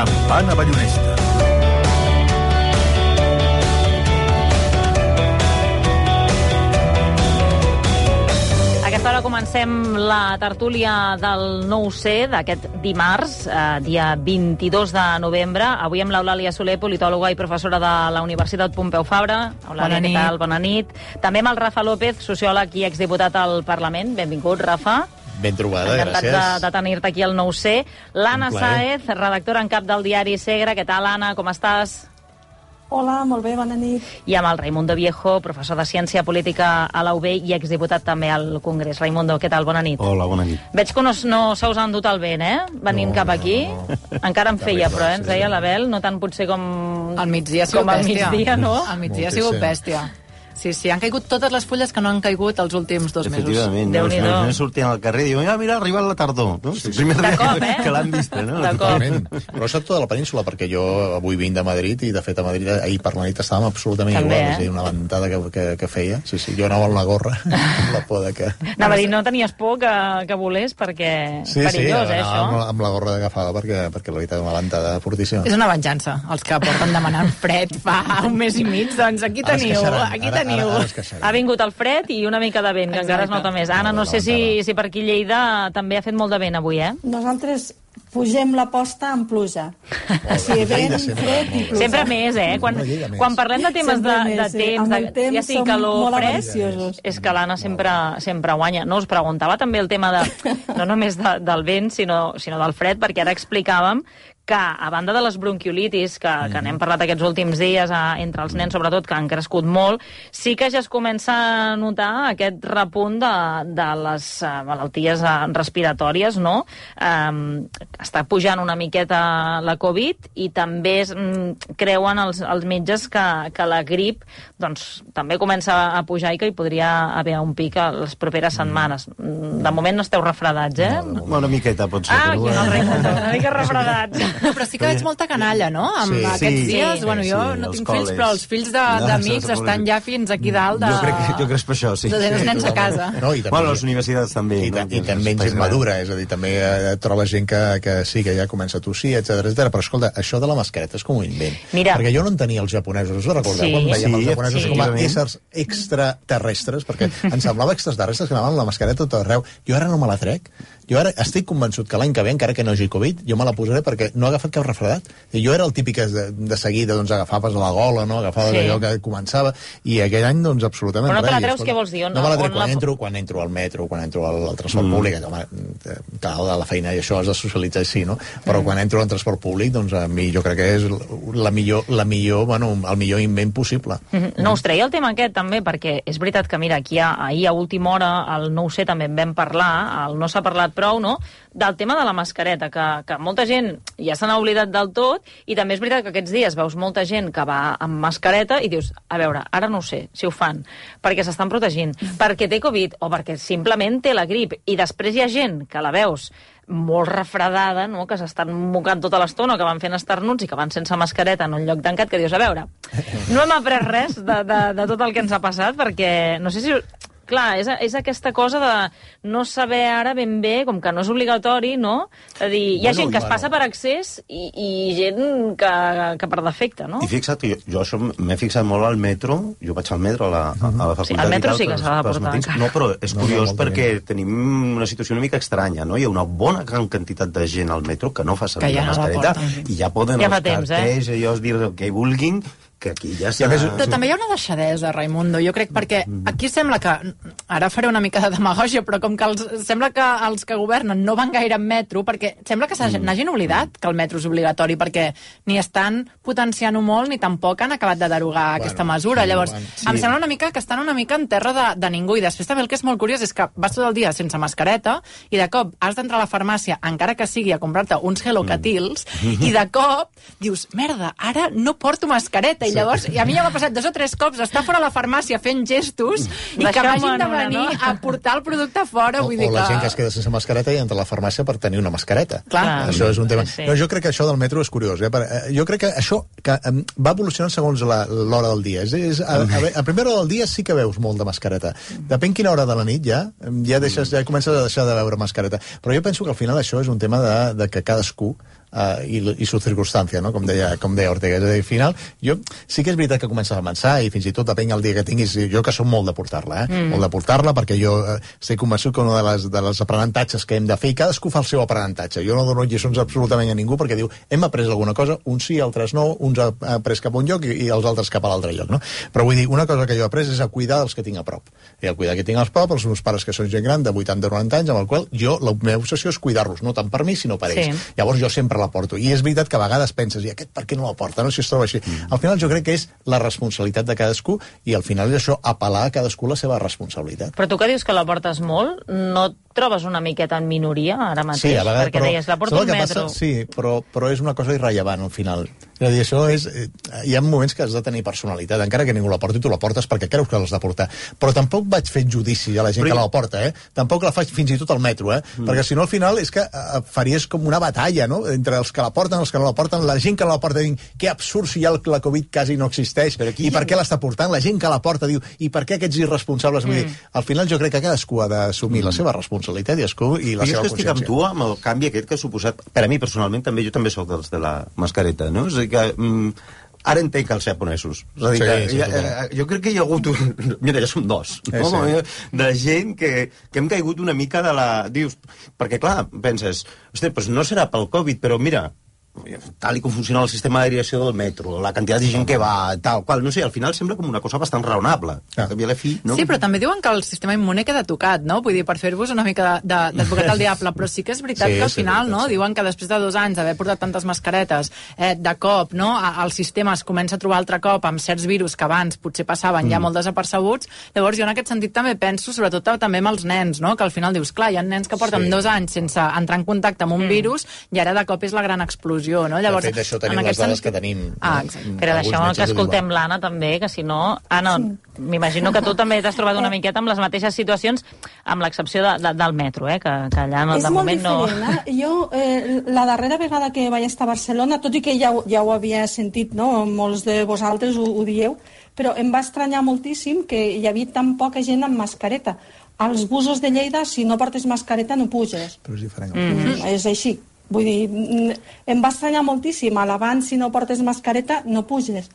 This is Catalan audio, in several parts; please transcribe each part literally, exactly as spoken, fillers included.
Campana Ballonesta. A aquesta hora comencem la tertúlia del nou C d'aquest dimarts, eh, dia vint-i-dos de novembre. Avui amb l'Eulàlia Soler, politòloga i professora de la Universitat Pompeu Fabra. Eulàlia, què tal? Bona nit. També amb el Rafa López, sociòleg i exdiputat al Parlament. Benvingut, Rafa. Ben trobada, Encantats gràcies. de, de tenir-te aquí al nou C. L'Anna Sáez, redactora en cap del diari Segre. Què tal, Anna? Com estàs? Hola, molt bé, bona nit. I amb el Raimundo Viejo, professor de Ciència Política a la U B i exdiputat també al Congrés. Raimundo, què tal? Bona nit. Hola, bona nit. Veig que no, no se us ha endut el vent, eh? Venint No, cap no, aquí. no. Encara en feia, però, eh? Ens sí. deia l'Abel, no tant potser com... Al migdia ha sigut com al bèstia. migdia, no? Al migdia ha Moltíssim. sigut bèstia. Sí, sí, han caigut totes les fulles que no han caigut els últims dos mesos. Efectivament, no, els Déu-n'hi-do. nens sortien al carrer i diuen, ah, mira, ha arribat la tardor. No? Sí, sí. Primer De cop, dia eh? que l'han vist, no? De cop. Totalment. Però és a tota la península, perquè jo avui vinc de Madrid i, de fet, a Madrid ahir per la nit estàvem absolutament També, igual. eh? És a dir, una ventada que, que, que feia. Sí, sí, jo anava amb la gorra, amb la por de que... Anava a dir, no tenies por que, que volés, perquè Sí, perillós, sí, eh, anava amb, això? la- amb la gorra d'agafada, perquè, perquè la veritat és una ventada fortíssima. És una venjança. Els que porten demanant fred fa un mes i mig, doncs aquí Ara es teniu, queixaran, aquí ara- teniu. ara- ara es queixaran. Ha vingut el fred i una mica de vent, que encara es Exacte. nota més. Anna, no sé si, si per aquí a Lleida també ha fet molt de vent avui, eh? Nosaltres pugem la posta amb pluja. O sigui, vent, Lleida sempre, fred i molt bé. pluja. Sempre més, eh? Quan, No, Lleida més. quan parlem de temes de, Sempre de més, sí. temps, Amb de, el temps ja sigui som calor o molt fred, avariciosos. és que l'Anna sempre, sempre guanya. No, us preguntava també el tema de, no només de, del vent, sinó, sinó del fred, perquè ara explicàvem que, a banda de les bronquiolitis, que, que n'hem parlat aquests últims dies, a, entre els nens sobretot, que han crescut molt, sí que ja es comença a notar aquest repunt de, de les uh, malalties uh, respiratòries, no? Um, està pujant una miqueta la Covid i també es, um, creuen els, els metges que, que la grip doncs, també comença a pujar i que hi podria haver un pic a les properes setmanes. De moment no esteu refredats, eh? No, Una miqueta, pot ser. Ah, aquí però no, bueno. Raimundo, una mica refredats. No, però sí que veig molta canalla, no? Amb Sí. aquests Sí, dies, sí, bueno, jo sí, no els tinc fills, col·les. però els fills de- No, d'amics els estan col·les. ja fins aquí dalt de... Jo crec que, jo crec que és per això, sí. de tenir els nens a casa. No, i també, Bueno, les universitats també. I, no? ta- i també Els gent espais madura, és a dir, també eh, trobes gent que, que sí, que ja comença a tossir, etcètera, etcètera. Però escolta, això de la mascareta és com un invent. Mira. Perquè jo no entenia els japonesos, us ho recordeu? Sí. Quan veiem Sí, els japonesos sí. com a efectivament. éssers extraterrestres, perquè em semblava extraterrestres que anaven amb la mascareta tot arreu. Jo ara no me la trec. Jo ara estic convençut que l'any que ve, encara que no hagi Covid, jo me la posaré perquè no ha agafat cap refredat. I jo era el típic que de, de seguida doncs, agafaves a la gola, no? Agafaves Sí. allò que començava, i aquell any, doncs, absolutament Però no te la res. I, treus, escolta, què vols dir? On- No me la trec on quan, la- entro, quan entro al metro, quan entro al, al transport mm. públic, home, cal de la feina i això has de socialitzar, sí, no? Però Mm. quan entro al transport públic, doncs a mi jo crec que és la millor, la millor, bueno, el millor invent possible. Mhm. No us treia el tema aquest també, perquè és veritat que, mira, aquí a, ahir a última hora, al nou C també en vam parlar, el no s'ha parlat prou, no?, del tema de la mascareta, que, que molta gent ja se n'ha oblidat del tot, i també és veritat que aquests dies veus molta gent que va amb mascareta i dius, a veure, ara no ho sé si ho fan, perquè s'estan protegint, perquè té Covid o perquè simplement té la grip, i després hi ha gent que la veus molt refredada, no?, que s'estan mocant tota l'estona, que van fent esternuts i que van sense mascareta en un lloc tancat, que dius, a veure, no hem après res de, de, de tot el que ens ha passat, perquè no sé si... Clar, és, és aquesta cosa de no saber ara ben bé, com que no és obligatori, no? És a dir, hi ha Bueno, gent que es bueno. passa per accés i, i gent que, que per defecte, no? I fixa't que jo, jo això m'he fixat molt al metro, jo vaig al metro a la, a la facultat Sí, al metro i tal, sí que pels- s'ha de pels portar matins. encara. No, però és No, no, curiós molta perquè gent. tenim una situació una mica estranya, no? Hi ha una bona gran quantitat de gent al metro que no fa servir Que ja la no la mascareta porten. i ja poden Ja fa els temps, eh? cartells, allò, dir el que vulguin, que aquí ja s'ha... Però també hi ha una deixadesa, Raimundo, jo crec, perquè aquí sembla que, ara faré una mica de demagògia, però com que els, sembla que els que governen no van gaire en metro, perquè sembla que n'hagin oblidat que el metro és obligatori, perquè ni estan potenciant-ho molt, ni tampoc han acabat de derogar Bueno, aquesta mesura. sí, Llavors, bueno, em sembla una mica que estan una mica en terra de, de ningú, i després també el que és molt curiós és que vas tot el dia sense mascareta, i de cop has d'entrar a la farmàcia, encara que sigui a comprar-te uns Hello Catils, i de cop dius, merda, ara no porto mascareta, i llavors, i a mi ja m'ha passat dos o tres cops estar fora a la farmàcia fent gestos i que Deixeu-me m'hagin de en una, venir no? a portar el producte fora. O, Vull dir o la que... gent que es queda sense mascareta i entra a la farmàcia per tenir una mascareta. Clar. Això és un tema. Sí, sí. No, jo crec que això del metro és curiós. Eh? Per, eh, jo crec que això que, um, va evolucionant segons la- l'hora del dia. És, és, a, a, a primera hora del dia sí que veus molt de mascareta. Depèn quina hora de la nit ja, ja, deixes, ja comences a deixar de veure mascareta. Però jo penso que al final això és un tema de, de que cadascú uh, i, i su circumstància, no? com, deia, com deia Ortega. És a dir, al final, jo sí que és veritat que comença a avançar i fins i tot depèn el dia que tinguis, jo que som molt de portar-la, eh? Mm. molt de portar-la, perquè jo eh, estic convençut que un de les, de les aprenentatges que hem de fer, i cadascú fa el seu aprenentatge. Jo no dono lliçons absolutament a ningú perquè diu, hem après alguna cosa, uns sí, altres no, uns ha après cap a un lloc i, i els altres cap a l'altre lloc, no? Però vull dir, una cosa que jo he après és a cuidar els que tinc a prop. I el cuidar que tinc a prop, els meus pares que són gent gran de vuitanta o noranta anys, amb el qual jo, la meva obsessió és cuidar-los, no tant per mi, sinó per ells. Sí. Llavors jo sempre la porto. I és veritat que a vegades penses, i aquest per què no la porta? No? Si es troba així. Mm. Al final jo crec que és la responsabilitat de cadascú i al final és això, apel·lar a cadascú la seva responsabilitat. Però tu que dius que la portes molt, no et trobes una miqueta en minoria ara mateix? Sí, a vegades, perquè però, deies, la porto un metro. Passa, sí, però, però és una cosa irrellevant al final. És a dir, això és... Hi ha moments que has de tenir personalitat, encara que ningú la porti, tu la portes perquè creus que l'has de portar. Però tampoc vaig fer judici a la gent però... que la porta, eh? Tampoc la faig fins i tot al metro, eh? Mm. Perquè si no al final és que eh, faries com una batalla, no? Entre els que la porten, els que no la porten, la gent que la porta diu que absurd si ja la Covid quasi no existeix, i per què l'està portant? La gent que la porta diu, i per què aquests irresponsables? Mm. Vull dir, al final jo crec que cadascú ha d'assumir mm. la seva responsabilitat i, escú, i la seva consciència. Jo estic amb tu, amb el canvi aquest que ha suposat, per a mi personalment, també jo també soc dels de la mascareta, no? És a dir que... Mm, ara entenc els japonesos. És a dir, sí, sí, que, ja, jo crec que hi ha hagut... Un... Mira, ja som dos, no? Sí, sí. De gent que, que hem caigut una mica de la... Dius, perquè, clar, penses, hosti, doncs no serà pel Covid, però mira, tal i com funciona el sistema d'aeriació del metro, la quantitat de gent que va, tal, qual, no sé, al final sembla com una cosa bastant raonable. Ah. A fi, no? Sí, però també diuen que el sistema immune queda tocat, no? Vull dir, per fer-vos una mica d'advocat al diable, però sí que és veritat sí, que al final, sí, no? Sí. Diuen que després de dos anys d'haver portat tantes mascaretes, eh, de cop, no? El sistema es comença a trobar altre cop amb certs virus que abans potser passaven mm. ja molt desapercebuts. Llavors jo en aquest sentit també penso, sobretot també amb els nens, no? Que al final dius, clar, hi ha nens que porten sí. dos anys sense entrar en contacte amb un mm. virus i ara de cop és la gran explosió. No? Llavors, de fet, això tenim les dades sentit... que tenim. Ah, no? Però deixeu que escoltem l'Anna també, que si no... Anna, sí. m'imagino que tu també t'has trobat una miqueta amb les mateixes situacions, amb l'excepció de, de, del metro, eh? que, que allà no, de moment no... És molt diferent, eh? Jo, eh, la darrera vegada que vaig estar a Barcelona, tot i que ja, ja ho havia sentit, no? Molts de vosaltres ho, ho dieu, però em va estranyar moltíssim que hi havia tan poca gent amb mascareta. Als busos de Lleida, si no portes mascareta, no puges. Però és diferent. Mm-hmm. És així. Vull dir, em va estranyar moltíssim. A l'abans, si no portes mascareta, no puges.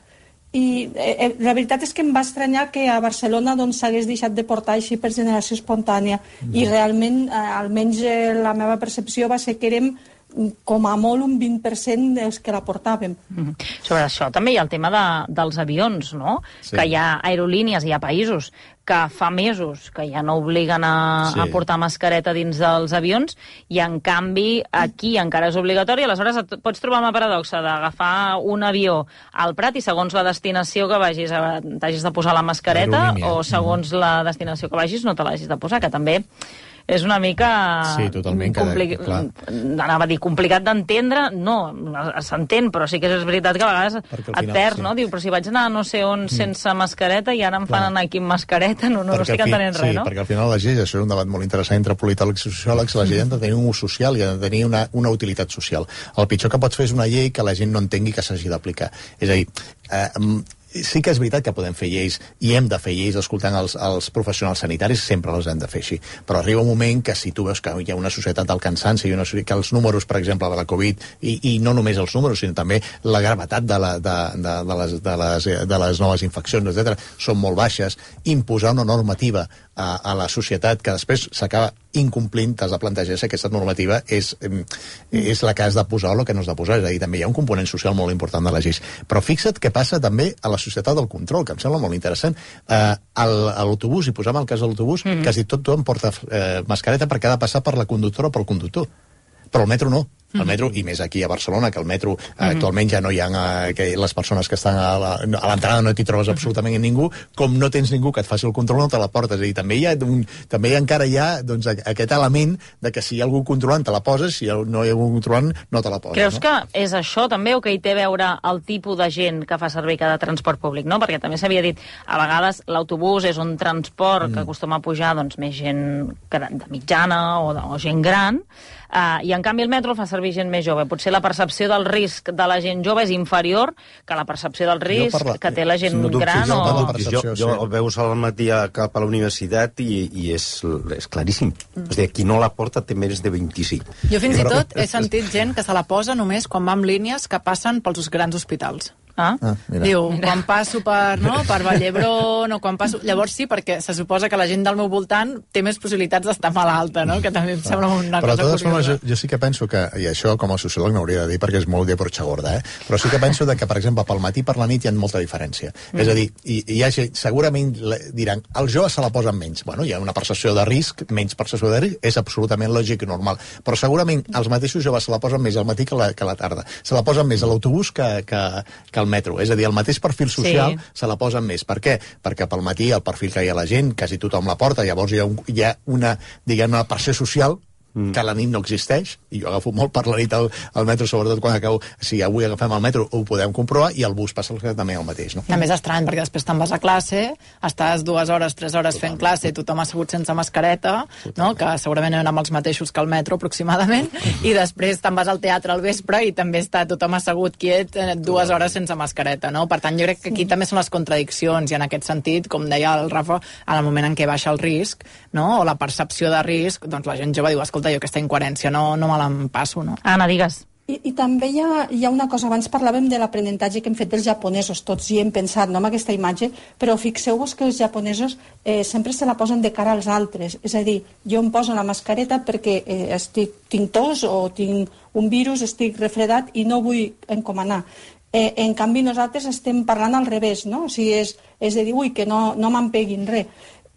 I eh, la veritat és que em va estranyar que a Barcelona doncs, s'hagués deixat de portar així per generació espontània. Mm. I realment, eh, almenys eh, la meva percepció va ser que érem com a molt un vint per cent dels que la portàvem. Mm. Sobre això també hi ha el tema de, dels avions, no? Sí. Que hi ha aerolínies, hi ha països que fa mesos que ja no obliguen a, sí. a portar mascareta dins dels avions i, en canvi, aquí encara és obligatori. Aleshores, et pots trobar una paradoxa d'agafar un avió al Prat i, segons la destinació que vagis, t'hagis de posar la mascareta, o segons mm. la destinació que vagis no te l'hagis de posar, que també és una mica... Sí, totalment. Compli... Anava a dir, complicat d'entendre. No, s'entén, però sí que és veritat que a vegades final, et perds, sí. no? Diu, però si vaig anar no sé on sense mascareta i ara em fan anar aquí amb mascareta, no, no, no estic entenent fi... res, sí, no? Perquè al final les lleis, això és un debat molt interessant entre politòlegs i sociòlegs, les lleis han de tenir un ús social i han de tenir una, una utilitat social. El pitjor que pots fer és una llei que la gent no entengui que s'hagi d'aplicar. És a dir, eh, sí que és veritat que podem fer lleis i hem de fer lleis escoltant els, els professionals sanitaris, sempre les hem de fer així, però arriba un moment que si tu veus que hi ha una societat del cansanci i una, que els números, per exemple, de la Covid i, i no només els números, sinó també la gravetat de, la, de, de, de, les, de, les, de les noves infeccions, etcètera, són molt baixes, imposar una normativa a, a la societat que després s'acaba incomplint, t'has de plantejar si aquesta normativa és, és la que has de posar o la que no has de posar. És a dir, també hi ha un component social molt important de les lleis. Però fixa't què passa també a la societat del control, que em sembla molt interessant. Eh, a l'autobús, i posam el cas de l'autobús, mm-hmm. quasi tot tothom porta eh, mascareta perquè ha de passar per la conductora o pel conductor. Però el metro no. El metro, i més aquí a Barcelona, que el metro eh, actualment ja no hi ha eh, que les persones que estan a l'entrada no t'hi trobes absolutament ningú, com no tens ningú que et faci el control no te la portes. És a dir, també hi ha, un, també hi ha encara hi ha doncs, aquest element de que si hi ha algú controlant te la poses, si no hi ha algú controlant no te la poses. Creus no? que és això també o que hi té a veure el tipus de gent que fa servir cada transport públic, no? Perquè també s'havia dit, a vegades l'autobús és un transport mm. que acostuma a pujar doncs, més gent de mitjana o, de, o gent gran, uh, i en canvi el metro el fa servir servir gent més jove? Potser la percepció del risc de la gent jove és inferior que la percepció del risc la... que té la gent no gran? No, o... jo, jo, jo el veus al matí cap a la universitat i, i és, és claríssim. Mm. És a dir, qui no la porta té més de vint-i-cinc. Jo fins i tot he sentit gent que se la posa només quan va amb línies que passen pels grans hospitals. Ah? Ah, diu, mira. Quan passo per, no, per Vall d'Hebron o quan passo... Llavors sí, perquè se suposa que la gent del meu voltant té més possibilitats d'estar malalta, no? Que també em sembla una però cosa curiosa. Formes, jo, jo sí que penso que, i això com a sociòleg no hauria de dir perquè és molt de porxa gorda, eh? Però sí que penso de que, per exemple, pel matí i per la nit hi ha molta diferència. Mm. És a dir, hi, hi ha gent, segurament diran, els joves se la posen menys. Bueno, hi ha una percepció de risc, menys percepció de risc, és absolutament lògic i normal. Però segurament els mateixos joves se la posen més al matí que la, que la tarda. Se la posen més a l'autobús que, que, que al metro. És a dir, el mateix perfil social sí. se la posen més. Per què? Perquè pel matí el perfil que hi ha la gent, quasi tothom la porta, llavors hi ha, un, hi ha una, diguem, una pressió social mm. que a la nit no existeix, i jo agafo molt per la nit al, al metro, sobretot quan acabo, si avui agafem el metro ho podem comprovar, i el bus passa també el mateix, no? També és estrany, perquè després te'n vas a classe, estàs dues hores, tres hores fent classe, tothom ha assegut sense mascareta, no? Que segurament eren amb els mateixos que el metro, aproximadament, i després te'n vas al teatre al vespre i també està tothom assegut quiet dues hores sense mascareta, no? Per tant, jo crec que aquí també són les contradiccions, i en aquest sentit, com deia el Rafa, en el moment en què baixa el risc, no? O la percepció de risc, doncs la gent jove diu, escolta, jo aquesta incoherència no, no me l'empasso, no? Anna, digues. I, i també hi ha, hi ha una cosa, abans parlàvem de l'aprenentatge que hem fet dels japonesos, tots hi hem pensat, no, amb aquesta imatge, però fixeu-vos que els japonesos eh, sempre se la posen de cara als altres, és a dir, jo em poso la mascareta perquè eh, estic, tinc tos o tinc un virus, estic refredat i no vull encomanar. Eh, en canvi nosaltres estem parlant al revés, no? O sigui, és, és de dir, ui, que no, no me'n peguin res.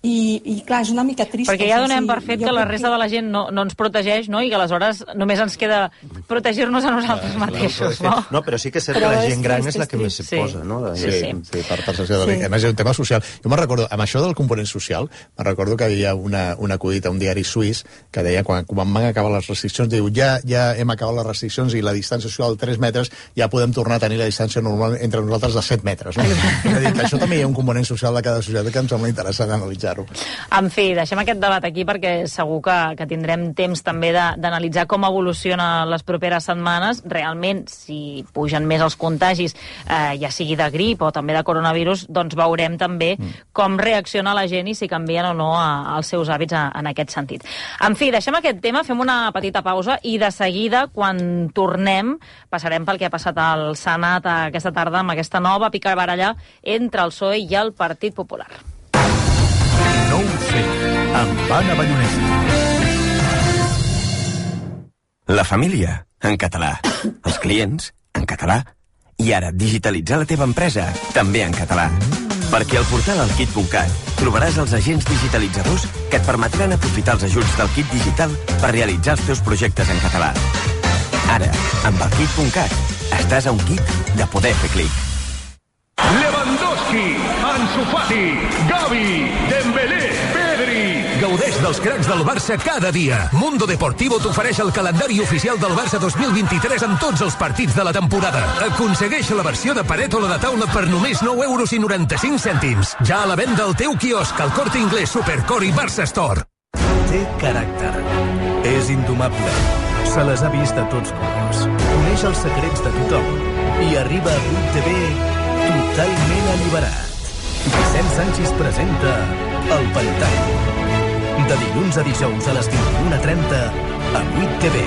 I, i clar, és una mica trist. Perquè ja donem per fet que la resta de la gent no, no ens protegeix, no? I que aleshores només ens queda protegir-nos a nosaltres clar, mateixos, no? No, però sí que és cert però que la gent gran és la que més se sí. posa, no? Sí, sí, sí. sí per percepció de sí. A més, és un tema social. Jo me'n recordo, amb això del component social, me'n recordo que hi havia una, una acudit a un diari suís que deia, quan, quan van acabar les restriccions, diu, ja, ja hem acabat les restriccions i la distància social de tres metres, ja podem tornar a tenir la distància normal entre nosaltres de set metres, no? És a dir, que això també hi ha un component social de cada societat que em sembla interessant analitzar-ho. En fi, deixem aquest debat aquí perquè segur que, que tindrem temps també d'analitzar com evoluciona les properes setmanes. Realment, si pugen més els contagis, eh, ja sigui de grip o també de coronavirus, doncs veurem també mm. com reacciona la gent i si canvien o no a, als seus hàbits a, en aquest sentit. En fi, deixem aquest tema, fem una petita pausa i de seguida, quan tornem, passarem pel que ha passat al Senat aquesta tarda amb aquesta nova picabaralla entre el P S O E i el Partit Popular. nou C, amb Anna Ballonesta. La família, en català. Els clients, en català. I ara, digitalitzar la teva empresa, també en català. Perquè al portal alkit punt cat trobaràs els agents digitalitzadors que et permetran aprofitar els ajuts del kit digital per realitzar els teus projectes en català. Ara, amb alkit punt cat, estàs a un clic de poder fer clic. Lewandowski, Ansu Fati, Gavi, Dembélé, Pedri. Gaudeix dels cracs del Barça cada dia. Mundo Deportivo t'ofereix el calendari oficial del Barça dos mil vint-i-tres amb tots els partits de la temporada. Aconsegueix la versió de paret o la de taula per només nou euros i noranta-cinc cèntims. Ja a la venda al teu quiosc, al Corte Inglés, Supercore i Barça Store. Té caràcter. És indomable. Se les ha vist a tots colors. Coneix els secrets de tothom. I arriba a vuit T V totalment alliberat. Vicent Sánchez presenta El Pantall. De dilluns a dijous a les vint-i-una trenta a vuit T V.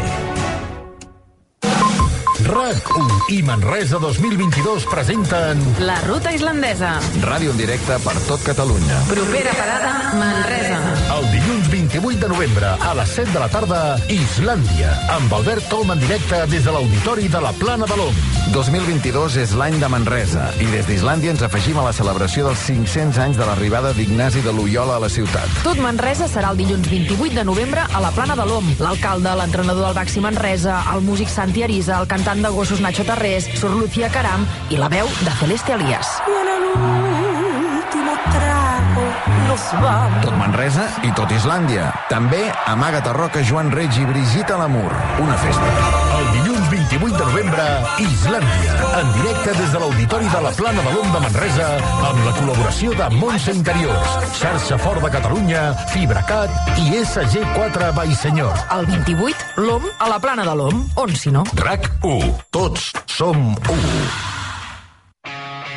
RAC u i Manresa dos mil vint-i-dos presenten La Ruta Islandesa. Ràdio en directe per tot Catalunya. Propera parada, Manresa. El dilluns vint-i-vuit de novembre a les set de la tarda, Islàndia, amb Albert Tom en directe des de l'Auditori de la Plana de l'Om. dos mil vint-i-dos és l'any de Manresa i des d'Islàndia ens afegim a la celebració dels cinc-cents anys de l'arribada d'Ignasi de Loyola a la ciutat. Tot Manresa serà el dilluns vint-i-vuit de novembre a la Plana de l'Om. L'alcalde, l'entrenador del Baxi Manresa, el músic Santi Arisa, el cantant de gossos Nacho Tarrés, Sor Lucía Caram i la veu de Celeste Elías. Viene l'último trago. nos vamos. Tot Manresa i tot Islàndia. També Amaga't a Roca, Joan Reig i Brigitte Lamour. Una festa. El dilluns vint-i-vuit de novembre, Islàndia. En directe des de l'Auditori de la Plana de l'Om de Manresa, amb la col·laboració de Montse Interiors, Xarxa Fort de Catalunya, Fibracat i S G quatre Vallsenyor. El vint-i-vuit, l'Om a la Plana de l'Om. On, si no? RAC u. Tots som u.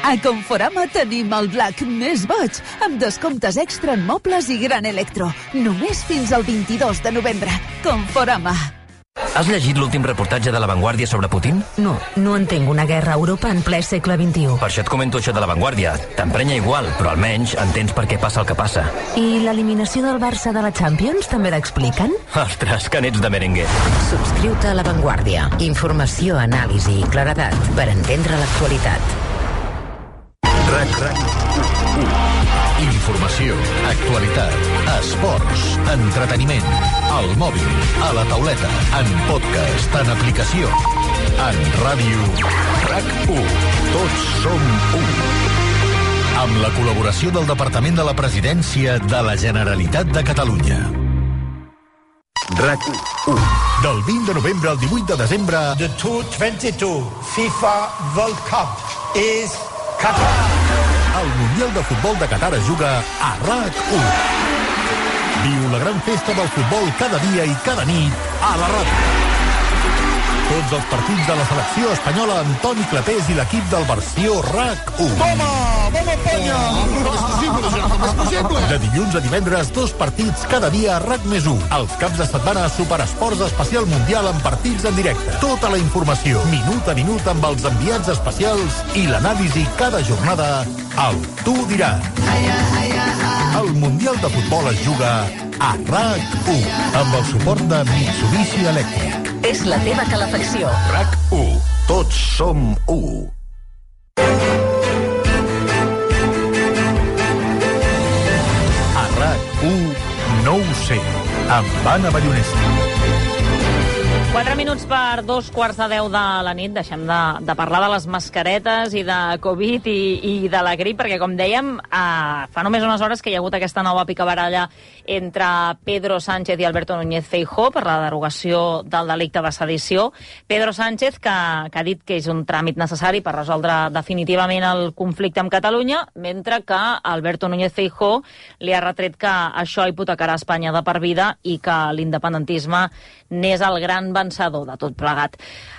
A Conforama tenim el Black més boig, amb descomptes extra en mobles i gran electro. Només fins al vint-i-dos de novembre. Conforama. Has llegit l'últim reportatge de La Vanguardia sobre Putin? No, no entenc una guerra a Europa en ple segle vint-i-u. Per això et comento això de La Vanguardia. T'emprenya igual, però almenys entens per què passa el que passa. I l'eliminació del Barça de la Champions també l'expliquen? Ostres, que n'ets de merengue. Subscriu-te a La Vanguardia. Informació, anàlisi i claredat per entendre l'actualitat. RAC, RAC u. Informació, actualitat, esports, entreteniment, al mòbil, a la tauleta, en podcast, en aplicació, en ràdio. RAC u. Tots som u. Amb la col·laboració del Departament de la Presidència de la Generalitat de Catalunya. RAC u. Del vint de novembre al divuit de desembre... The dos mil vint-i-dos FIFA World Cup is Qatar. El Mundial de Futbol de Qatar es juga a RAC u. Viu la gran festa del futbol cada dia i cada nit a la ràdio. Tots els partits de la selecció espanyola amb Toni Clapés i l'equip del versió RAC u. Toma! Vamos, Espanya! És possible, és possible! De dilluns a divendres, dos partits cada dia a RAC més u. Els caps de setmana, Superesports Especial Mundial amb partits en directe. Tota la informació, minut a minut amb els enviats especials i l'anàlisi cada jornada al Tu diràs. El Mundial de Futbol es juga a RAC u amb el suport de Mitsubishi Elèctric. És la teva calefacció. RAC u. Tots som u. A RAC u, no ho sé, amb Anna Ballonesta. Quatre minuts per dos quarts de deu de la nit. Deixem de, de parlar de les mascaretes i de Covid i, i de la grip, perquè, com dèiem, eh, fa només unes hores que hi ha hagut aquesta nova picabaralla entre Pedro Sánchez i Alberto Núñez Feijóo per la derogació del delicte de sedició. Pedro Sánchez, que, que ha dit que és un tràmit necessari per resoldre definitivament el conflicte amb Catalunya, mentre que Alberto Núñez Feijóo li ha retret que això hipotecarà Espanya de per vida i que l'independentisme n'és el gran vencedor de tot plegat.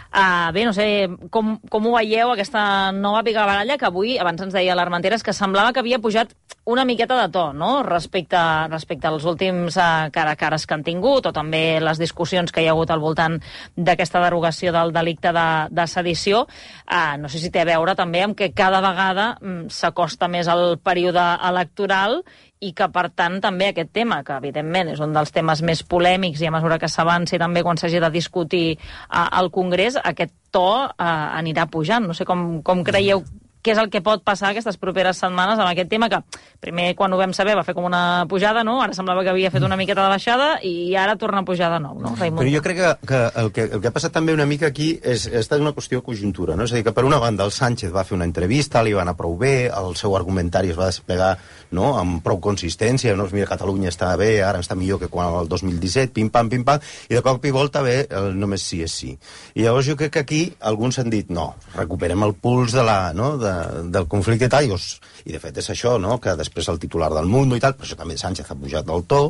Uh, bé, no sé com, com ho veieu, aquesta nova picabaralla que avui, abans ens deia l'Armenteres, que semblava que havia pujat una miqueta de to, no?, respecte, respecte als últims uh, cara a cares que han tingut, o també les discussions que hi ha hagut al voltant d'aquesta derogació del delicte de, de sedició. Uh, no sé si té a veure també amb que cada vegada um, s'acosta més al període electoral i que, per tant, també aquest tema, que evidentment és un dels temes més polèmics i a mesura que s'avanci també quan s'hagi de discutir uh, al Congrés, aquest to uh, anirà pujant. No sé com, com creieu què és el que pot passar aquestes properes setmanes amb aquest tema, que primer, quan ho vam saber, va fer com una pujada, no? Ara semblava que havia fet una miqueta de baixada i ara torna a pujar de nou, no, Raimon? Però jo crec que, que, el, que el que ha passat també una mica aquí és, és una qüestió de conjuntura, no? És a dir, que per una banda el Sánchez va fer una entrevista, li va anar prou bé, el seu argumentari es va desplegar, no?, amb prou consistència, no? Mira, Catalunya està bé, ara està millor que quan el dos mil disset, pim-pam, pim-pam, i de cop i volta ve el només sí és sí. I llavors jo crec que aquí alguns han dit, no, recuperem el puls de la, no?, de, del conflicte i tal, i, us, i de fet és això, no?, que després el titular del Mundo i tal, per això també Sánchez ha pujat del to,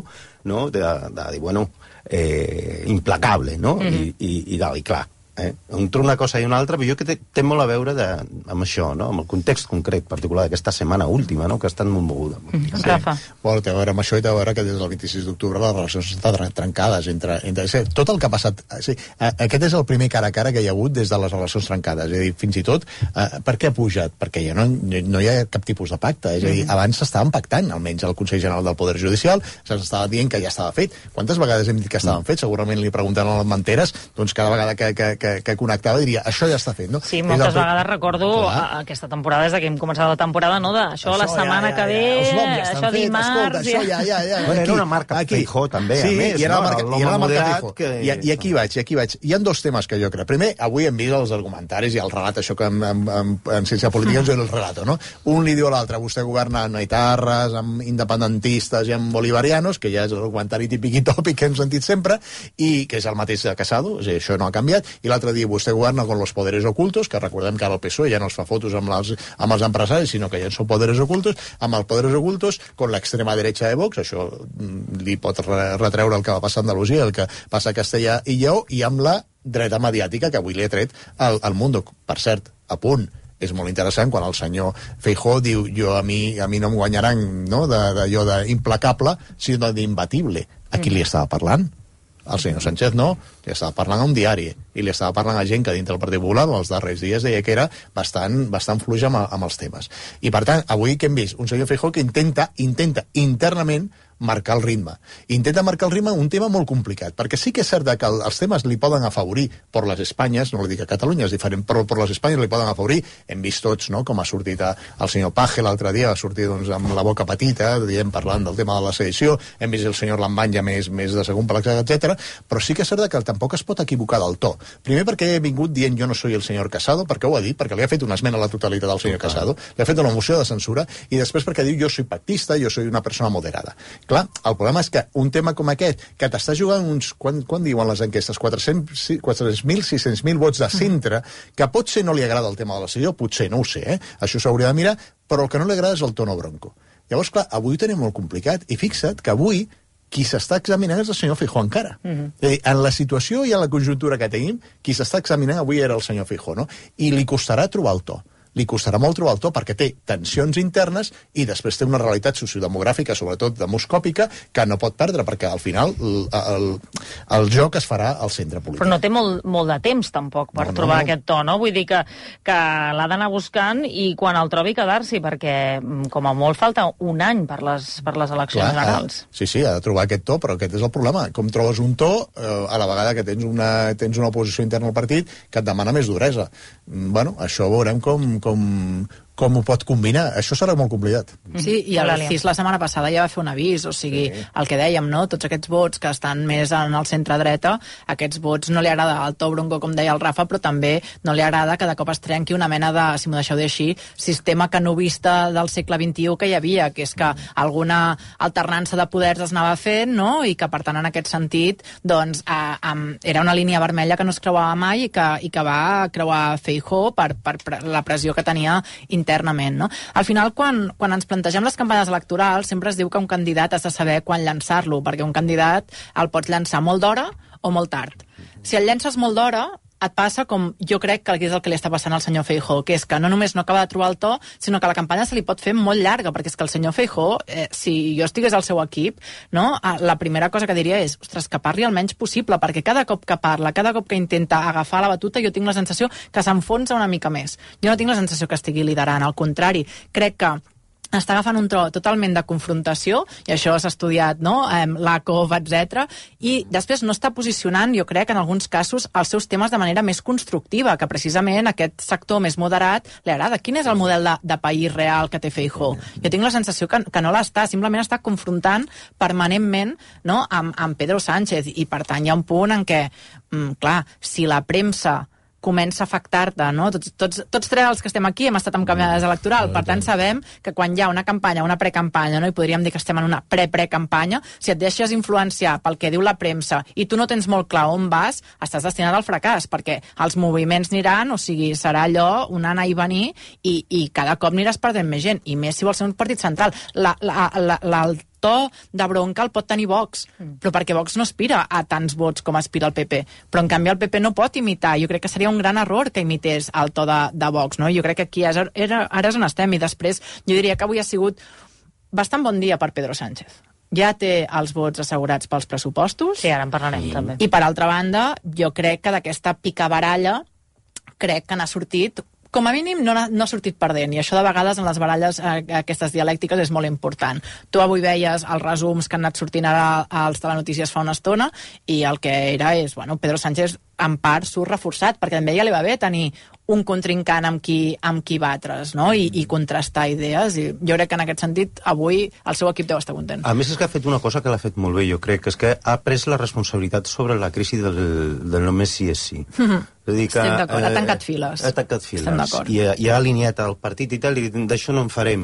no?, de, de dir, bueno, eh, implacable, no?, mm-hmm. I, i, i, i clar, eh? entre una cosa i una altra, però jo que té, té molt a veure de, amb això, no?, amb el context concret particular d'aquesta setmana última, no?, que ha estat molt moguda. Mm-hmm. Sí. Rafa. Bueno, té a veure amb això i té a veure que des del vint-i-sis d'octubre les relacions estan trencades entre, entre sí, tot el que ha passat, sí, aquest és el primer cara a cara que hi ha hagut des de les relacions trencades, és a dir, fins i tot eh, per què ha pujat? Perquè ja no, no hi ha cap tipus de pacte, és a dir, abans s'estaven pactant, almenys al Consell General del Poder Judicial s'estava dient que ja estava fet. Quantes vegades hem dit que estaven fets? Segurament li pregunten a les Manteres, doncs cada vegada que, que, que que, que connectava diria, això ja està fet, no? Sí, moltes el... vegades recordo a, aquesta temporada, des que hem començat la temporada, no? De, això, això la setmana ja, ja, que ve, ja, això dimarts... Escolta, això ja, ja, ja. Bueno, era una marca aquí. Feijó, també, sí, a més, i era no? la marca, i era la marca Feijó. Que... I, I aquí vaig, i aquí vaig. Hi ha dos temes que jo crec. Primer, avui hem vist els argumentaris i el relat, això que en, en, en, en ciència política ens diu el relato, no? Un li diu a l'altre, vostè governa amb etarres, amb independentistes i amb bolivarianos, que ja és el argumentari típic i tòpic que hem sentit sempre, i que és el mateix de Casado, o sigui, això no ha canviat, i l'altre dia vostè governa con los poderes ocultos, que recordem que ara el P S O E ja no els fa fotos amb, les, amb els empresaris, sinó que ja són poderes ocultos, amb els poderes ocultos, con l'extrema derecha de Vox, això li pot retreure el que va passar a Andalusia, el que passa a Castellà i Lleó, i amb la dreta mediàtica que avui li ha tret al, al Mundo. Per cert, a punt, és molt interessant quan el senyor Feijó diu jo a mi, a mi no em guanyaran, no?, d'allò d'implacable, sinó d'imbatible. A qui li estava parlant? El senyor Sánchez no, li estava parlant a un diari i li estava parlant a gent que dintre del Partit Popular els darrers dies deia que era bastant, bastant fluix amb, amb els temes. I per tant, avui que hem vist un senyor Feijó que intenta, intenta internament marcar el ritme. Intenta marcar el ritme un tema molt complicat, perquè sí que és cert que els temes li poden afavorir per les Espanyes, no li dic a Catalunya, és diferent, però per les Espanyes li poden afavorir. Hem vist tots, no?, com ha sortit el senyor Paje l'altre dia, va sortir doncs, amb la boca petita, diem, parlant del tema de la sedició, hem vist el senyor Lambán ja més, més de segon per etcètera, però sí que és cert que tampoc es pot equivocar del to. Primer perquè he vingut dient jo no soy el senyor Casado, perquè ho ha dit, perquè li ha fet una esmena a la totalitat al senyor Casado, li ha fet una moció de censura, i després perquè diu jo soy pactista, jo soy una persona moderada. Clar, el problema és que un tema com aquest, que t'està jugant uns, quan, quan diuen les enquestes, quatre-cents mil, sis-cents mil vots de centre, que potser no li agrada el tema de la sedició, potser, no ho sé, eh? Això s'hauria de mirar, però el que no li agrada és el tono bronco. Llavors, clar, avui ho tenim molt complicat, i fixa't que avui qui s'està examinant és el senyor Feijó encara. Uh-huh. És a dir, en la situació i en la conjuntura que tenim, qui s'està examinant avui era el senyor Feijó, no? I li costarà trobar el to. Li costarà molt trobar el to perquè té tensions internes i després té una realitat sociodemogràfica, sobretot demoscòpica, que no pot perdre, perquè al final el, el, el joc es farà al centre polític. Però no té molt, molt de temps, tampoc, per no, trobar no, no. aquest to, no? Vull dir que, que l'ha d'anar buscant i quan el trobi quedar-s'hi, perquè com a molt falta un any per les, per les eleccions Clar, generals. Ha, sí, sí, ha de trobar aquest to, però aquest és el problema. Com trobes un to eh, a la vegada que tens una, tens una oposició interna al partit que et demana més duresa. Bueno, això veurem com com, com ho pot combinar. Això serà molt complicat. Sí, i el C I S la setmana passada ja va fer un avís, o sigui, sí. el que dèiem, no? Tots aquests vots que estan més en el centre-dreta, aquests vots no li agrada el to bronco, com deia el Rafa, però també no li agrada que de cop es trenqui una mena de, si m'ho deixeu dir així, sistema canovista del segle vint-i-u que hi havia, que és que alguna alternança de poders es anava fent, no? I que, per tant, en aquest sentit, doncs, eh, eh, era una línia vermella que no es creuava mai i que, i que va creuar Feijó per, per, per la pressió que tenia internament, no? Al final, quan, quan ens plantegem les campanyes electorals, sempre es diu que un candidat has de saber quan llançar-lo, perquè un candidat el pots llançar molt d'hora o molt tard. Si el llences molt d'hora, et passa com jo crec que és el que li està passant al senyor Feijó, que és que no només no acaba de trobar el to, sinó que la campanya se li pot fer molt llarga, perquè és que el senyor Feijó, eh, si jo estigués al seu equip, no, la primera cosa que diria és, ostres, que parli el menys possible, perquè cada cop que parla, cada cop que intenta agafar la batuta, jo tinc la sensació que s'enfonsa una mica més. Jo no tinc la sensació que estigui liderant, al contrari, crec que està agafant un tro totalment de confrontació, i això s'ha estudiat, no?, eh, l'A C O V, etcètera, i després no està posicionant, jo crec, en alguns casos, els seus temes de manera més constructiva, que precisament aquest sector més moderat li agrada. Quin és el model de, de país real que té Feijó? Jo tinc la sensació que, que no l'està, simplement està confrontant permanentment, no?, amb, amb Pedro Sánchez, i per tant hi ha un punt en què, mm, clar, si la premsa comença a afectar-te, no? Tots, tots, tots tres els que estem aquí hem estat en campanyes electorals, per tant sabem que quan hi ha una campanya, una precampanya, no? I podríem dir que estem en una pre-pre-campanya, si et deixes influenciar pel que diu la premsa i tu no tens molt clar on vas, estàs destinat al fracàs, perquè els moviments aniran, o sigui, serà allò, un anar i venir, i, i cada cop aniràs perdent més gent, i més si vols ser un partit central. La, la, la, la, el to de bronca el pot tenir Vox, però perquè Vox no aspira a tants vots com aspira el P P, però en canvi el P P no pot imitar. Jo crec que seria un gran error que imités el to de, de Vox, no? Jo crec que aquí és, era, ara és on estem, i després jo diria que avui ha sigut bastant bon dia per Pedro Sánchez. Ja té els vots assegurats pels pressupostos. Sí, ara en parlarem, I, també. I per altra banda, jo crec que d'aquesta picabaralla crec que n'ha sortit com a mínim no ha, no ha sortit perdent, i això de vegades en les baralles eh, aquestes dialèctiques és molt important. Tu avui veies els resums que han anat sortint ara als telenotícies fa una estona, i el que era és, bueno, Pedro Sánchez en part surt reforçat, perquè també ja li va bé tenir un contrincant amb qui, amb qui batre's, no? I, i contrastar idees, i jo crec que en aquest sentit avui el seu equip deu estar content. A més és que ha fet una cosa que l'ha fet molt bé, jo crec, que és que ha pres la responsabilitat sobre la crisi del, del només sí és sí. Mm-hmm. És a dir que, estem d'acord, ha tancat eh, files. Ha tancat files. Estem d'acord. I, I ha alineat el partit i tal, i d'això no en farem.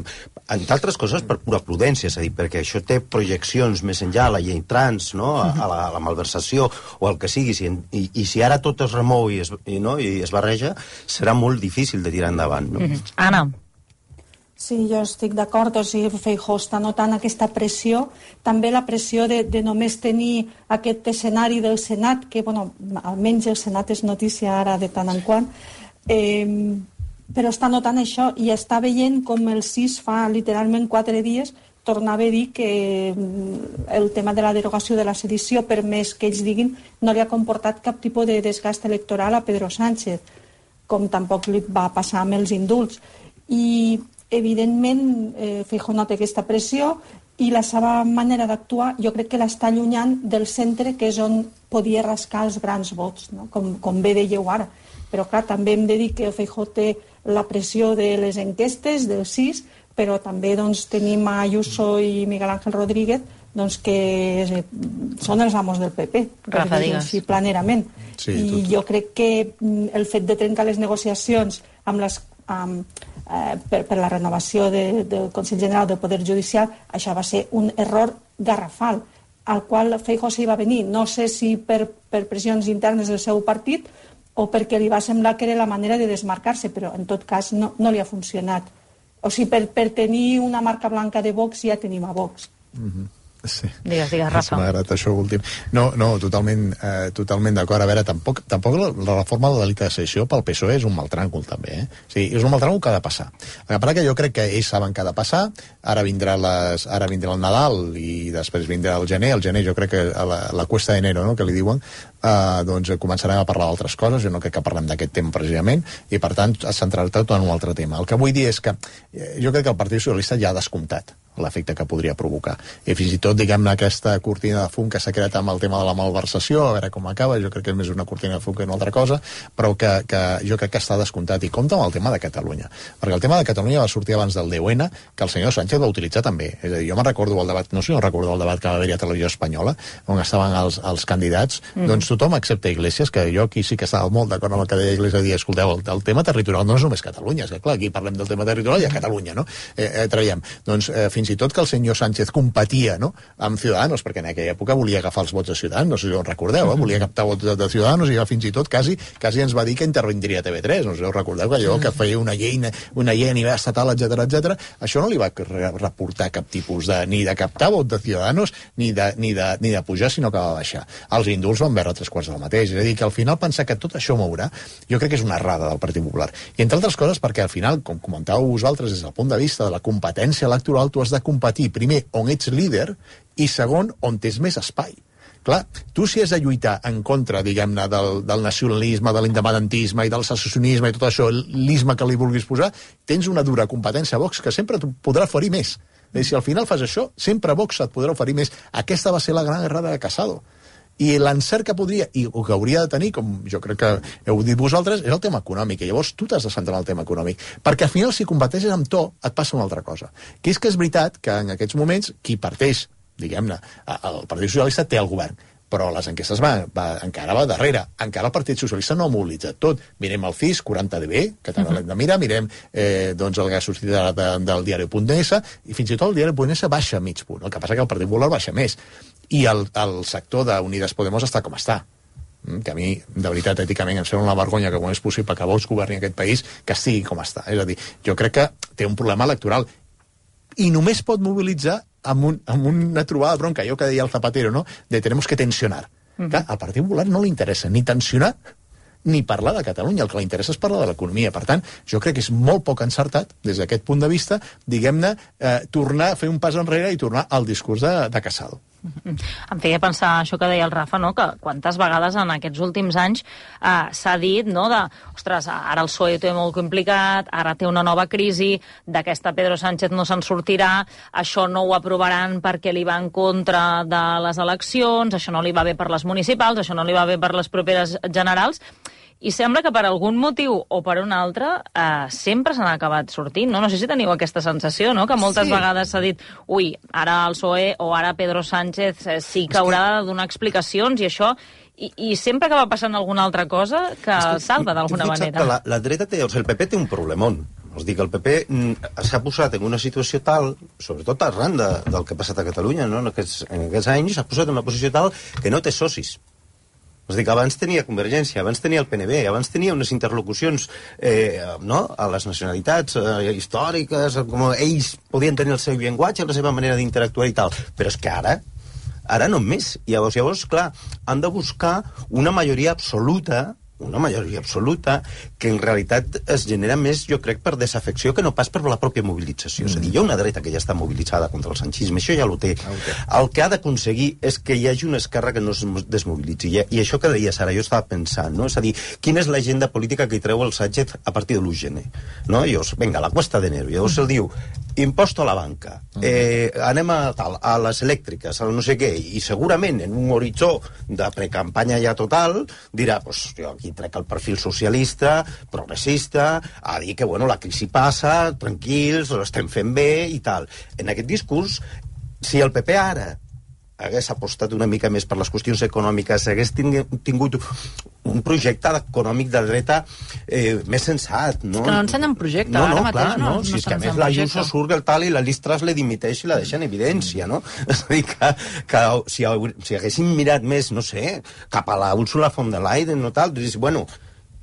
Entre altres coses, per pura prudència, és a dir, perquè això té projeccions més enllà, la llei trans, no? a, a, la, a la malversació, o el que sigui, si, i, i si ara tot es remou i es, i, no? i es barreja, serà molt difícil de tirar endavant. No? Mm-hmm. Anna. Sí, jo estic d'acord, o sigui, Feijóo està notant aquesta pressió, també la pressió de, de només tenir aquest escenari del Senat, que, bueno, almenys el Senat és notícia ara de tant en quant, eh, però està notant això i està veient com el sis fa literalment quatre dies tornava a dir que el tema de la derogació de la sedició, per més que ells diguin, no li ha comportat cap tipus de desgast electoral a Pedro Sánchez, com tampoc li va passar amb els indults. I evidentment, eh, Feijóo nota aquesta pressió i la seva manera d'actuar jo crec que l'està allunyant del centre, que és on podia rascar els grans vots, no? com, com bé dèieu ara. Però clar, també hem de dir que Feijóo té la pressió de les enquestes, del sis, però també doncs, tenim a Ayuso i Miguel Ángel Rodríguez, doncs, que eh, són els amos del P P, per dir-ho així planerament. Sí, I tot. Jo crec que el fet de trencar les negociacions amb les Um, eh, per, per la renovació de, del Consell General del Poder Judicial, això va ser un error garrafal, al qual Feijóo s'hi va venir, no sé si per, per pressions internes del seu partit o perquè li va semblar que era la manera de desmarcar-se, però en tot cas no, no li ha funcionat. O sigui, per, per tenir una marca blanca de Vox ja tenim a Vox. Mm-hmm. Sí. Digues, digues, Rafa. M'ha agradat això últim. No, no, totalment, eh, totalment d'acord. A veure, tampoc, tampoc la, la reforma del delicte de sedició pel P S O E és un mal tràngol, també. Eh? O sigui, és un mal tràngol que ha de passar. El que passa que jo crec que ells saben que ha de passar, ara vindrà, les, ara vindrà el Nadal i després vindrà el gener. El gener jo crec que a la, la cuesta d'enero, no?, que li diuen, eh, doncs començarem a parlar d'altres coses. Jo no crec que parlem d'aquest tema precisament i, per tant, es centrarà tot en un altre tema. El que vull dir és que eh, jo crec que el Partit Socialista ja ha descomptat l'efecte que podria provocar. I fins i tot, diguem-ne, aquesta cortina de fum que s'ha creat amb el tema de la malversació, a veure com acaba, jo crec que és més una cortina de fum que una altra cosa, però que, que jo crec que està descomptat. I compta amb el tema de Catalunya, perquè el tema de Catalunya va sortir abans del deu ene, que el senyor Sánchez va utilitzar també. És a dir, jo me'n recordo el debat, no sé si no recordo el debat que va haver-hi a Televisió Espanyola, on estaven els, els candidats, mm. doncs tothom, excepte Iglesias, que jo aquí sí que estava molt d'acord amb el que deia Iglesias, dir, escolteu, el, el tema territorial no és només Catalunya, és que clar, aquí parlem del tema territorial i a Catalunya, no? Eh, eh, traiem. Doncs eh, fins i tot que el senyor Sánchez competia, no?, amb Ciudadanos, perquè en aquella època volia agafar els vots de Ciudadanos, no sé si ho recordeu, eh? Volia captar vots de, de Ciudadanos i ja fins i tot quasi, quasi ens va dir que intervindria a T V tres, no sé si ho recordeu, que allò que feia una llei, una llei a nivell estatal, etcètera, etcètera. Això no li va reportar cap tipus de, ni de captar vot de Ciudadanos, ni de, ni de, ni de pujar, sinó que va baixar. Els indults van veure tres quarts del mateix, és a dir, que al final pensar que tot això mourà, jo crec que és una errada del Partit Popular. I entre altres coses perquè al final, com comentàveu vosaltres, des del punt de vista de la competència electoral, tu has de competir primer on ets líder i segon on tens més espai. Clar, tu si has de lluitar en contra, diguem-ne, del, del nacionalisme, de l'independentisme i del secessionisme i tot això, l'isme que li vulguis posar, tens una dura competència a Vox que sempre t'ho podrà oferir més. I si al final fas això, sempre Vox et podrà oferir més. Aquesta va ser la gran errada de Casado. I l'encert que podria, i o que hauria de tenir, com jo crec que heu dit vosaltres, és el tema econòmic, i llavors tu t'has de centrar en el tema econòmic, perquè al final si competeixes amb to, et passa una altra cosa, que és que és veritat que en aquests moments qui parteix, diguem-ne, el Partit Socialista té el govern, però les enquestes va, va, encara va darrere, encara el Partit Socialista no ha mobilitzat tot. Mirem el C I S, quaranta D B, que també l'hem de mirar, mirem eh, doncs el que ha sortit de, de, del diari.es, i fins i tot el diari.es baixa mig punt, el que passa que el Partit Popular baixa més. I el, el sector d'Unides Podemos està com està, que a mi, de veritat, èticament em sembla una vergonya que quan és possible que Vox governi aquest país, que estigui com està. És a dir, jo crec que té un problema electoral i només pot mobilitzar amb, un, amb una trobada de bronca, allò que deia el Zapatero, no?, de tenemos que tensionar. Uh-huh. Clar, al Partit Popular no li interessa ni tensionar ni parlar de Catalunya, el que li interessa és parlar de l'economia. Per tant, jo crec que és molt poc encertat, des d'aquest punt de vista, diguem-ne, eh, tornar a fer un pas enrere i tornar al discurs de, de Casado. Em feia pensar això que deia el Rafa, no? Que quantes vegades en aquests últims anys eh, s'ha dit, no?, de, ostres, ara el P S O E ho té molt complicat, ara té una nova crisi, d'aquesta Pedro Sánchez no se'n sortirà, això no ho aprovaran perquè li va en contra de les eleccions, això no li va bé per les municipals, això no li va bé per les properes generals, i sembla que per algun motiu o per un altre eh, sempre s'han acabat sortint, no? No sé si teniu aquesta sensació, no?, que moltes sí. vegades s'ha dit, ui, ara el P S O E o ara Pedro Sánchez eh, sí que haurà de donar explicacions i això, i, i sempre acaba passant alguna altra cosa que el salva d'alguna manera. La, la dreta té, o sigui, el P P té un problemón. Us dic, el P P s'ha posat en una situació tal, sobretot arran de, del que ha passat a Catalunya, no?, en aquests, en aquests anys, s'ha posat en una posició tal que no té socis. És dir, que abans tenia Convergència, abans tenia el P N B, abans tenia unes interlocucions eh, no? a les nacionalitats eh, històriques, com ells podien tenir el seu llenguatge, la seva manera d'interactuar i tal. Però és que ara, ara no més. Llavors, llavors, clar, han de buscar una majoria absoluta, una majoria absoluta, que en realitat es genera més, jo crec, per desafecció que no pas per la pròpia mobilització. Mm. És a dir, hi ha una dreta que ja està mobilitzada contra el sanchisme, això ja ho té. Okay. El que ha d'aconseguir és que hi hagi una esquerra que no es desmobilitzi. I, i això que deies ara, jo estava pensant, no? És a dir, quina és l'agenda política que hi treu el Sánchez a partir de l'u de gener? No? Llavors, vinga, la cuesta d'enero. Llavors el diu, imposto a la banca, eh, anem a, tal, a les elèctriques, a no sé què, i segurament en un horitzó de precampanya ja total dirà, pues, jo aquí trec el perfil socialista, progressista, a dir que, bueno, la crisi passa, tranquils, ho estem fent bé i tal. En aquest discurs, si el P P ara hagués apostat una mica més per les qüestions econòmiques, hagués tingut un projecte econòmic de dreta eh, més sensat, no? És que no ensenyen projecte, no, no, ara mateix clar, no, no, no si és que a més projecte. l'Ayuso surt el tal i la Liz Truss le dimiteix i la deixa en evidència, no? És a dir, que, que si, si haguessin mirat més, no sé, cap a la Úrsula von der Leyen, no tal, dius, bueno,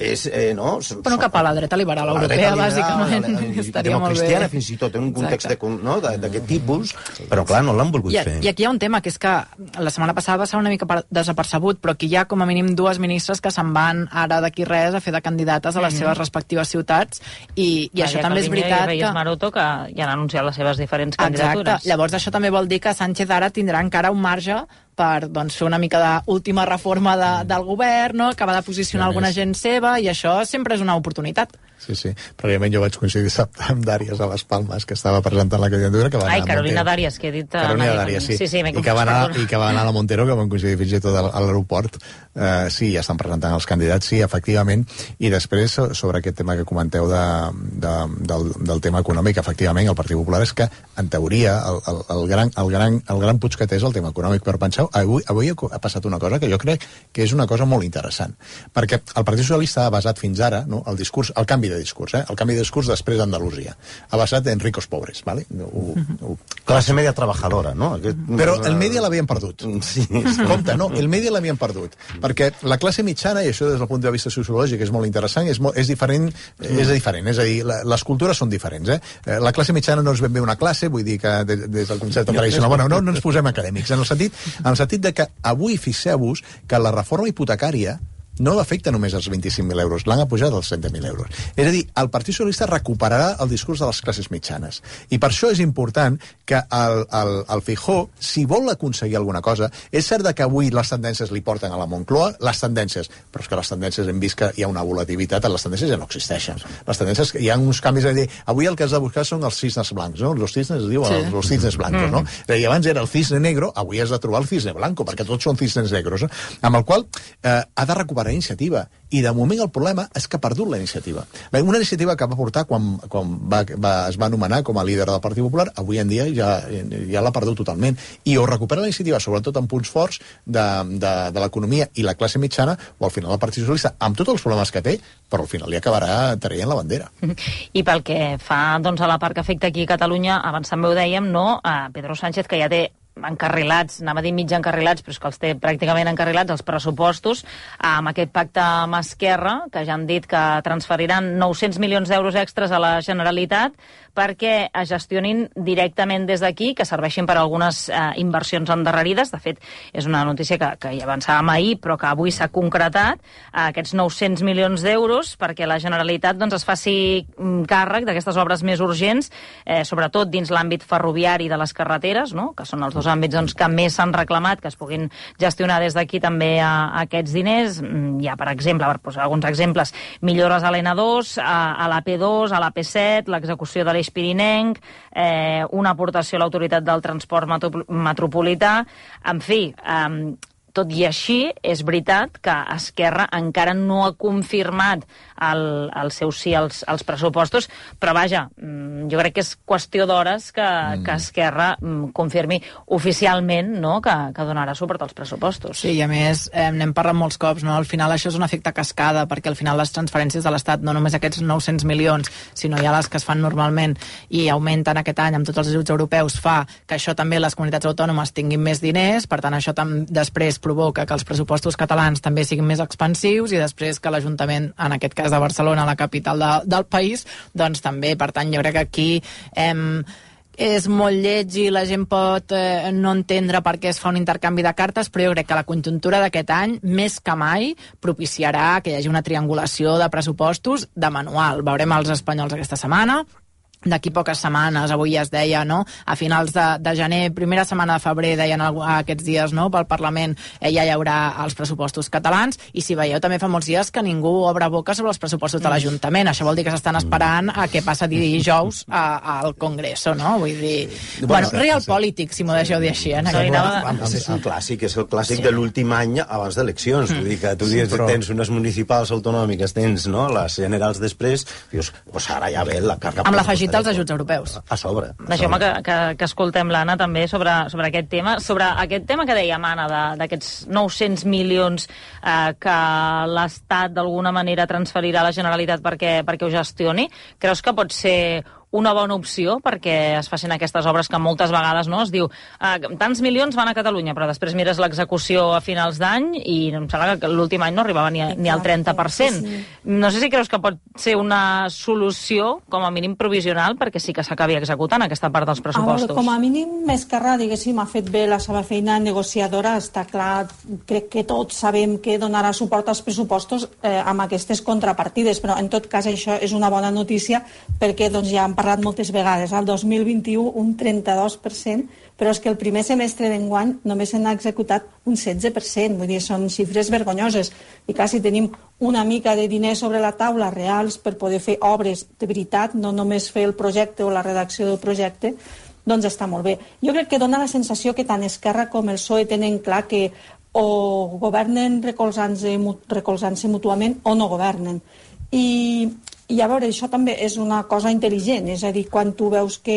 és, eh, no? Però cap a la dreta liberal la europea, dreta liberal, bàsicament, la, la, estaria molt bé. Democristiana, fins i tot, en un context no, d'aquest tipus, però clar, no l'han volgut I, fer. I aquí hi ha un tema, que és que la setmana passada va ser una mica per, desapercebut, però aquí hi ha com a mínim dues ministres que se'n van ara d'aquí res a fer de candidates a les mm-hmm. seves respectives ciutats, i, i això també és veritat que... I Maroto, que ja han anunciat les seves diferents candidatures. Exacte, llavors això també vol dir que Sánchez ara tindrà encara un marge per doncs, fer una mica d'última reforma de, del govern, no? Acabar de posicionar alguna gent seva, i això sempre és una oportunitat. Sí, sí. Previament jo vaig coincidir amb Dàries a les Palmes, que estava presentant la candidatura. Que va Ai, Carolina Dàries, que he dit... Carolina Dàries, sí. sí, sí I, que va anar, I que va anar a la Montero, que vam coincidir fins i tot a l'aeroport. Uh, sí, ja estan presentant els candidats, sí, efectivament. I després, sobre aquest tema que comenteu de, de, del, del tema econòmic, efectivament, el Partit Popular és que, en teoria, el, el, el, gran, el, gran, el gran puig que té és el tema econòmic. Però penseu, avui, avui ha passat una cosa que jo crec que és una cosa molt interessant. Perquè el Partit Socialista ha basat fins ara, no, el discurs, el canvi de discurs, eh? el canvi de discurs després d'Andalusia. Ha basat en ricos pobres, ¿vale? Ho, ho... Classe media trabajadora, no? Aquest... Però el media l'havien perdut. Sí. Compte, no? El media l'havien perdut. Perquè la classe mitjana, i això des del punt de vista sociològic és molt interessant, és, molt, és diferent, mm. és diferent, és a dir, la, les cultures són diferents, eh? La classe mitjana no és ben bé una classe, vull dir que des, des del concepte tradicional, bueno, no, no ens posem acadèmics, en el sentit, en el sentit de que avui fixeu-vos que la reforma hipotecària no afecta només els vint-i-cinc mil euros, l'han apujat als trenta mil euros. És a dir, el Partit Socialista recuperarà el discurs de les classes mitjanes. I per això és important que el, el, el Feijóo, si vol aconseguir alguna cosa, és cert que avui les tendències li porten a la Moncloa, les tendències, però és que les tendències hem vist que hi ha una volatilitat, les tendències ja no existeixen. Les tendències, hi ha uns canvis a dir, avui el que has de buscar són els cisnes blancs, no? Los cisnes, es diu, sí. els cisnes blancos, no? Mm. I abans era el cisne negro, avui has de trobar el cisne blanco, perquè tots són cisnes negros, no? Amb el qual eh, ha de recuperar iniciativa, i de moment el problema és que ha perdut la iniciativa. Bé, una iniciativa que va portar quan, quan va, va, es va anomenar com a líder del Partit Popular, avui en dia ja, ja l'ha perdut totalment, i o recupera la iniciativa, sobretot en punts forts de, de, de l'economia i la classe mitjana, o al final el Partit Socialista, amb tots els problemes que té, però al final li acabarà traient la bandera. I pel que fa doncs, a la part que afecta aquí a Catalunya, abans també ho dèiem, no? A Pedro Sánchez, que ja té encarrilats, anava a dir mig encarrilats, però és que els té pràcticament encarrilats els pressupostos, amb aquest pacte amb Esquerra, que ja han dit que transferiran nou-cents milions d'euros extras a la Generalitat perquè es gestionin directament des d'aquí, que serveixin per a algunes eh, inversions endarrerides. De fet, és una notícia que, que ja avançàvem ahir, però que avui s'ha concretat, eh, aquests nou-cents milions d'euros perquè la Generalitat doncs, es faci càrrec d'aquestes obres més urgents, eh, sobretot dins l'àmbit ferroviari de les carreteres, no? Que són els dos àmbits doncs, que més s'han reclamat, que es puguin gestionar des d'aquí també a, a aquests diners. Hi ha, per exemple, per posar alguns exemples, millores a l'N dos, a, a la P dos, a la P set, l'execució de l'Eix Pirinenc, eh, una aportació a l'Autoritat del Transport Metropolità. En fi, eh, tot i així, és veritat que Esquerra encara no ha confirmat el, el seu sí als, als pressupostos, però vaja, jo crec que és qüestió d'hores que, mm. que Esquerra confirmi oficialment, no?, que, que donarà suport als pressupostos. Sí, i a més, eh, n'hem parlat molts cops, no?, al final això és un efecte cascada, perquè al final les transferències de l'Estat, no només aquests nou-cents milions, sinó ja les que es fan normalment i augmenten aquest any amb tots els ajuts europeus, fa que això també les comunitats autònomes tinguin més diners, per tant això tam- després provoca que els pressupostos catalans també siguin més expansius i després que l'Ajuntament, en aquest cas de Barcelona, la capital de, del país, doncs també, per tant, jo crec que aquí eh, és molt lleig i la gent pot eh, no entendre per què es fa un intercanvi de cartes, però jo crec que la conjuntura d'aquest any, més que mai, propiciarà que hi hagi una triangulació de pressupostos de manual. Veurem els espanyols aquesta setmana. D'aquí poques setmanes, avui ja es deia, no?, a finals de, de gener, primera setmana de febrer, deien aquests dies, no?, pel Parlament eh, ja hi haurà els pressupostos catalans, i si veieu també fa molts dies que ningú obre boca sobre els pressupostos de l'Ajuntament. Això vol dir que s'estan esperant a què passa dijous a, al Congreso, no? Vull dir... Bueno, real polític, si m'ho deixeu dir així, eh? És un clàssic, és el clàssic de l'últim any abans d'eleccions. Vull dir que tu dius, tens unes municipals autonòmiques, tens, no?, les generals després, dius, pues ara ja ve la càrrega... Amb l'afegit dels ajuts europeus. A sobre. Deixeu-me que, que, que escoltem l'Anna també sobre, sobre aquest tema, sobre aquest tema que dèiem, Anna, d'aquests nou-cents milions eh, que l'Estat d'alguna manera transferirà a la Generalitat perquè, perquè ho gestioni. Creus que pot ser una bona opció perquè es facin aquestes obres que moltes vegades, no, es diu eh, tants milions van a Catalunya, però després mires l'execució a finals d'any i em sembla que l'últim any no arribava ni, a, ni al trenta per cent. Sí, sí. No sé si creus que pot ser una solució, com a mínim provisional, perquè sí que s'acabi executant aquesta part dels pressupostos. A veure, com a mínim, Esquerra, diguéssim, ha fet bé la seva feina negociadora. Està clar, crec que tots sabem que donarà suport als pressupostos eh, amb aquestes contrapartides, però en tot cas això és una bona notícia perquè doncs, ja han parlat moltes vegades. Al dos mil vint-i-u un trenta-dos per cent, però és que el primer semestre d'enguany només se n'ha executat un setze per cent. Vull dir, són xifres vergonyoses. I clar, si tenim una mica de diners sobre la taula reals per poder fer obres de veritat, no només fer el projecte o la redacció del projecte, doncs està molt bé. Jo crec que dona la sensació que tant Esquerra com el P S O E tenen clar que o governen recolzant-se recolzant-se mútuament o no governen. I I a veure, això també és una cosa intel·ligent, és a dir, quan tu veus que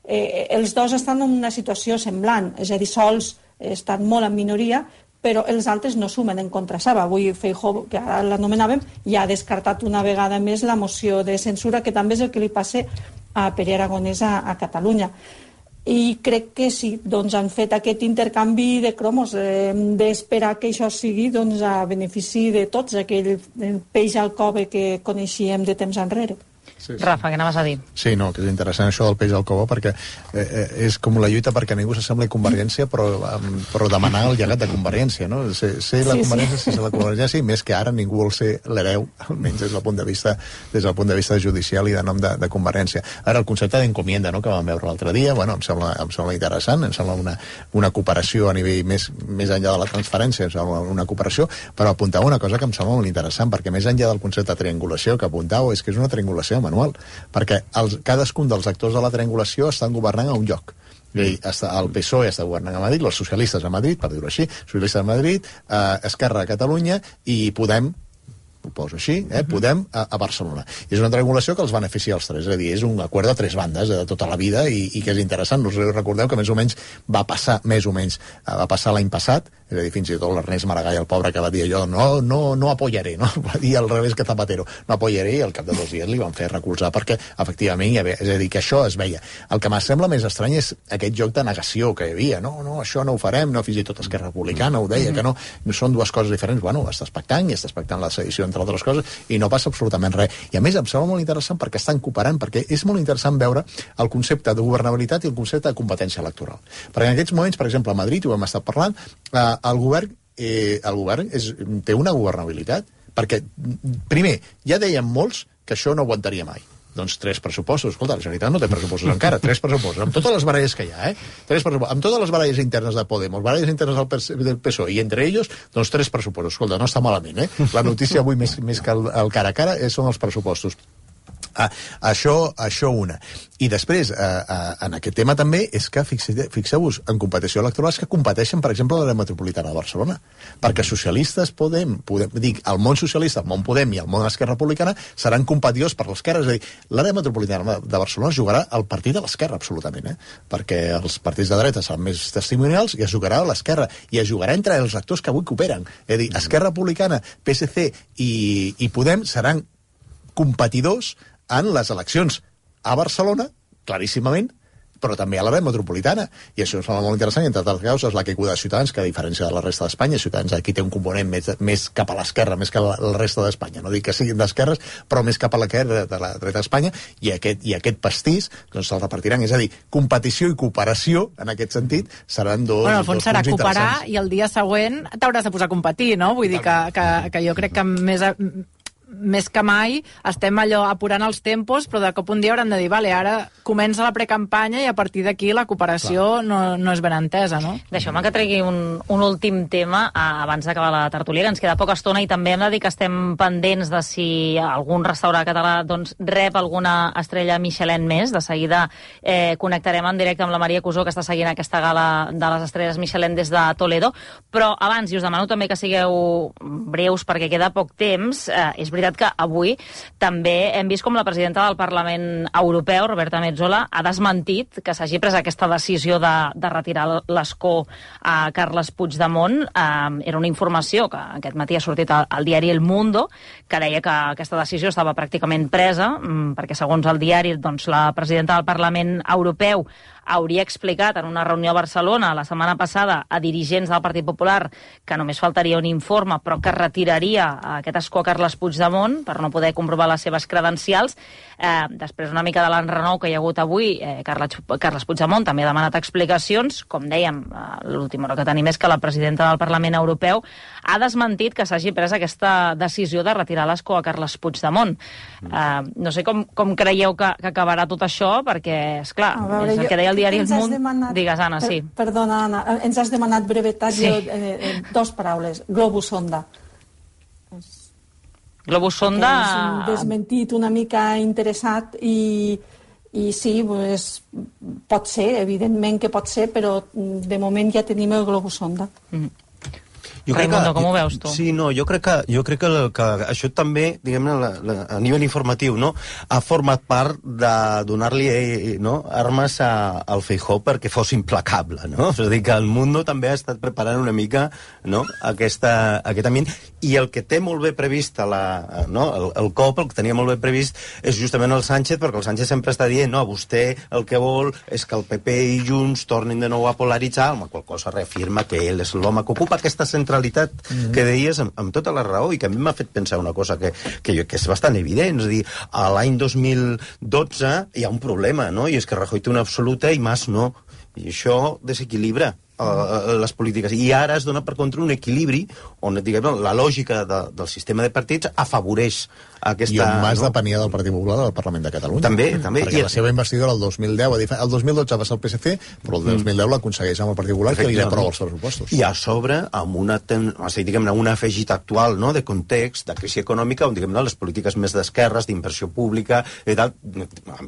eh, els dos estan en una situació semblant, és a dir, sols estan molt en minoria, però els altres no sumen en contra seva. Avui Feijóo, que ara l'anomenàvem, ja ha descartat una vegada més la moció de censura, que també és el que li passa a Pere Aragonès a, a Catalunya. I crec que sí, doncs han fet aquest intercanvi de cromos, eh, d'esperar que això sigui doncs, a benefici de tots, aquell peix al cove que coneixíem de temps enrere. Sí, sí. Rafa, què anaves a dir? Sí, no, que és interessant això del peix al cove perquè eh, eh, és com la lluita perquè ningú s'assembli a Convergència però, um, però demanar el llegat de Convergència, no? Ser, ser la sí, Convergència, sí. ser la Convergència, i més que ara ningú vol ser l'hereu, almenys des del punt de vista des del punt de vista judicial i de nom de, de Convergència. Ara, el concepte d'encomienda, no?, que vam veure l'altre dia, bueno, em sembla, em sembla interessant, em sembla una, una cooperació a nivell més, més enllà de la transferència, em sembla una cooperació, però apuntava una cosa que em sembla molt interessant, perquè més enllà del concepte de triangulació que apuntava, és que és una triangulació manual, perquè els, cadascun dels actors de la triangulació estan governant a un lloc. I està, el P S O E està governant a Madrid, els socialistes a Madrid, per dir-ho així, socialistes a Madrid, eh, Esquerra a Catalunya i Podem, ho poso així, eh, Podem a, a Barcelona. I és una triangulació que els beneficia els tres, és a dir, és un acord de tres bandes de tota la vida i, i que és interessant. Us recordeu que més o menys va passar, més o menys, va passar l'any passat, és a dir, fins i tot l'Ernest Maragall, el pobre, que va dir allò, no, no, no apoyaré, no? Va dir al revés que Zapatero, no apoyaré, i al cap de dos dies li van fer recolzar perquè, efectivament, hi havia, és a dir, que això es veia. El que m'ha sembla més estrany és aquest joc de negació que hi havia, no, no, això no ho farem, no, fins i tot Esquerra Republicana ho deia, que no, no són dues coses diferents. Bueno, estàs pactant i estàs pactant la sedició, entre altres coses, i no passa absolutament res. I a més em sembla molt interessant perquè estan cooperant, perquè és molt interessant veure el concepte de governabilitat i el concepte de competència electoral. Perquè en aquests moments, per exemple, a Madrid, ho hem estat parlant, eh, el govern, eh, el govern és, té una governabilitat, perquè, primer, ja deien molts que això no aguantaria mai. Doncs tres pressupostos. Escolta, la Generalitat no té pressupostos encara, tres pressupostos, amb totes les baralles que hi ha, eh? Tres pressupostos, amb totes les baralles internes de Podemos, baralles internes del P S O E, i entre ells, doncs tres pressupostos. Escolta, no està malament, eh? La notícia avui, més, més que el, el cara a cara, són els pressupostos. Ah, això, això una. I després, eh, eh, en aquest tema també, és que fixeu-vos, en competició electoral és que competeixen, per exemple, l'àrea metropolitana de Barcelona. Perquè socialistes podem, podem dic, el món socialista, el món Podem i el món Esquerra Republicana seran competidors per l'esquerra. És a dir, l'àrea metropolitana de Barcelona jugarà el partit de l'esquerra, absolutament, eh? Perquè els partits de dreta seran més testimonials i es jugarà a l'esquerra. I es jugarà entre els actors que avui cooperen. És a dir, Esquerra Republicana, P S C i, i Podem seran competidors en les eleccions a Barcelona, claríssimament, però també a l'àrea metropolitana. I això és molt interessant, entre altres causes, la caiguda de Ciutadans, que a diferència de la resta d'Espanya, Ciutadans aquí té un component més, més cap a l'esquerra, més que a la resta d'Espanya. No dic que siguin d'esquerres, però més cap a la, de la dreta d'Espanya, i aquest, i aquest pastís doncs se'l repartiran. És a dir, competició i cooperació, en aquest sentit, seran dos, bueno, al fons dos serà punts cooperar i el dia següent t'hauràs de posar a competir, no? Vull dir que, que, que jo crec que més... A... més que mai estem allò apurant els tempos, però de cop un dia hauran de dir, vale, ara comença la precampanya i a partir d'aquí la cooperació no, no és ben entesa, no? Deixeu-me que tregui un, un últim tema abans d'acabar la tertúlia, ens queda poca estona i també hem de dir que estem pendents de si algun restaurant català doncs, rep alguna estrella Michelin més. De seguida eh, connectarem en directe amb la Maria Cusó, que està seguint aquesta gala de les estrelles Michelin des de Toledo, però abans, i us demano també que sigueu breus perquè queda poc temps, eh, és veritat que avui també hem vist com la presidenta del Parlament Europeu, Roberta Metsola, ha desmentit que s'hagi pres aquesta decisió de, de retirar l'escó a Carles Puigdemont. Eh, era una informació que aquest matí ha sortit al, al diari El Mundo, que deia que aquesta decisió estava pràcticament presa, perquè segons el diari, doncs, la presidenta del Parlament Europeu hauria explicat en una reunió a Barcelona la setmana passada a dirigents del Partit Popular que només faltaria un informe, però que retiraria aquest escó a Carles Puigdemont per no poder comprovar les seves credencials. Eh, després una mica de l'enrenou que hi ha hagut avui, eh, Carles, Carles Puigdemont també ha demanat explicacions. Com dèiem, eh, l'última hora que tenim és que la presidenta del Parlament Europeu ha desmentit que s'hagi pres aquesta decisió de retirar l'escó a Carles Puigdemont. Eh, no sé com, com creieu que, que acabarà tot això, perquè, esclar, veure, és el que deia el diari El Mundo. Demanat... Digues, Anna, sí. Per, perdona, Anna, ens has demanat brevetat, sí. Jo, eh, eh, dos paraules. Globus sonda. Globus sonda... És un desmentit una mica interessat i, i sí, pues, pot ser, evidentment que pot ser, però de moment ja tenim el globus sonda. Mm. Jo crec Raimundo, que, com ho veus tu? Sí, no, jo crec que, jo crec que, que això també, diguem-ne, a nivell informatiu, no, ha format part de donar-li eh, no, armes a, al Feijóo perquè fos implacable, no? És a dir, que el Mundo també ha estat preparant una mica, no, aquesta, aquest ambient, i el que té molt bé previst la, no, el, el cop, el que tenia molt bé previst és justament el Sánchez, perquè el Sánchez sempre està dient, no, vostè el que vol és que el P P i Junts tornin de nou a polaritzar, amb la qual cosa reafirma que ell és l'home que ocupa aquesta centralitat Mm-hmm. que deies amb, amb tota la raó, i que a mi m'ha fet pensar una cosa que, que, jo, que és bastant evident. És a dir, a l'any dos mil dotze hi ha un problema, no? I és que Rajoy té una absoluta i Mas no. I això desequilibra uh, les polítiques. I ara es dona per contra un equilibri on, diguem, la lògica de, del sistema de partits afavoreix aquesta... I on Mas no? depenia del Partit Popular al Parlament de Catalunya. També, també. Perquè I... la seva investidura el dos mil deu, el dos mil dotze va ser el P S C, però el dos mil deu l'aconsegueix amb el Partit Popular, que li aprova els pressupostos. I a sobre, amb una, ten... o sigui, diguem-ne, un afegit actual, no?, de context, de crisi econòmica, on, diguem-ne, les polítiques més d'esquerres, d'inversió pública, i tal,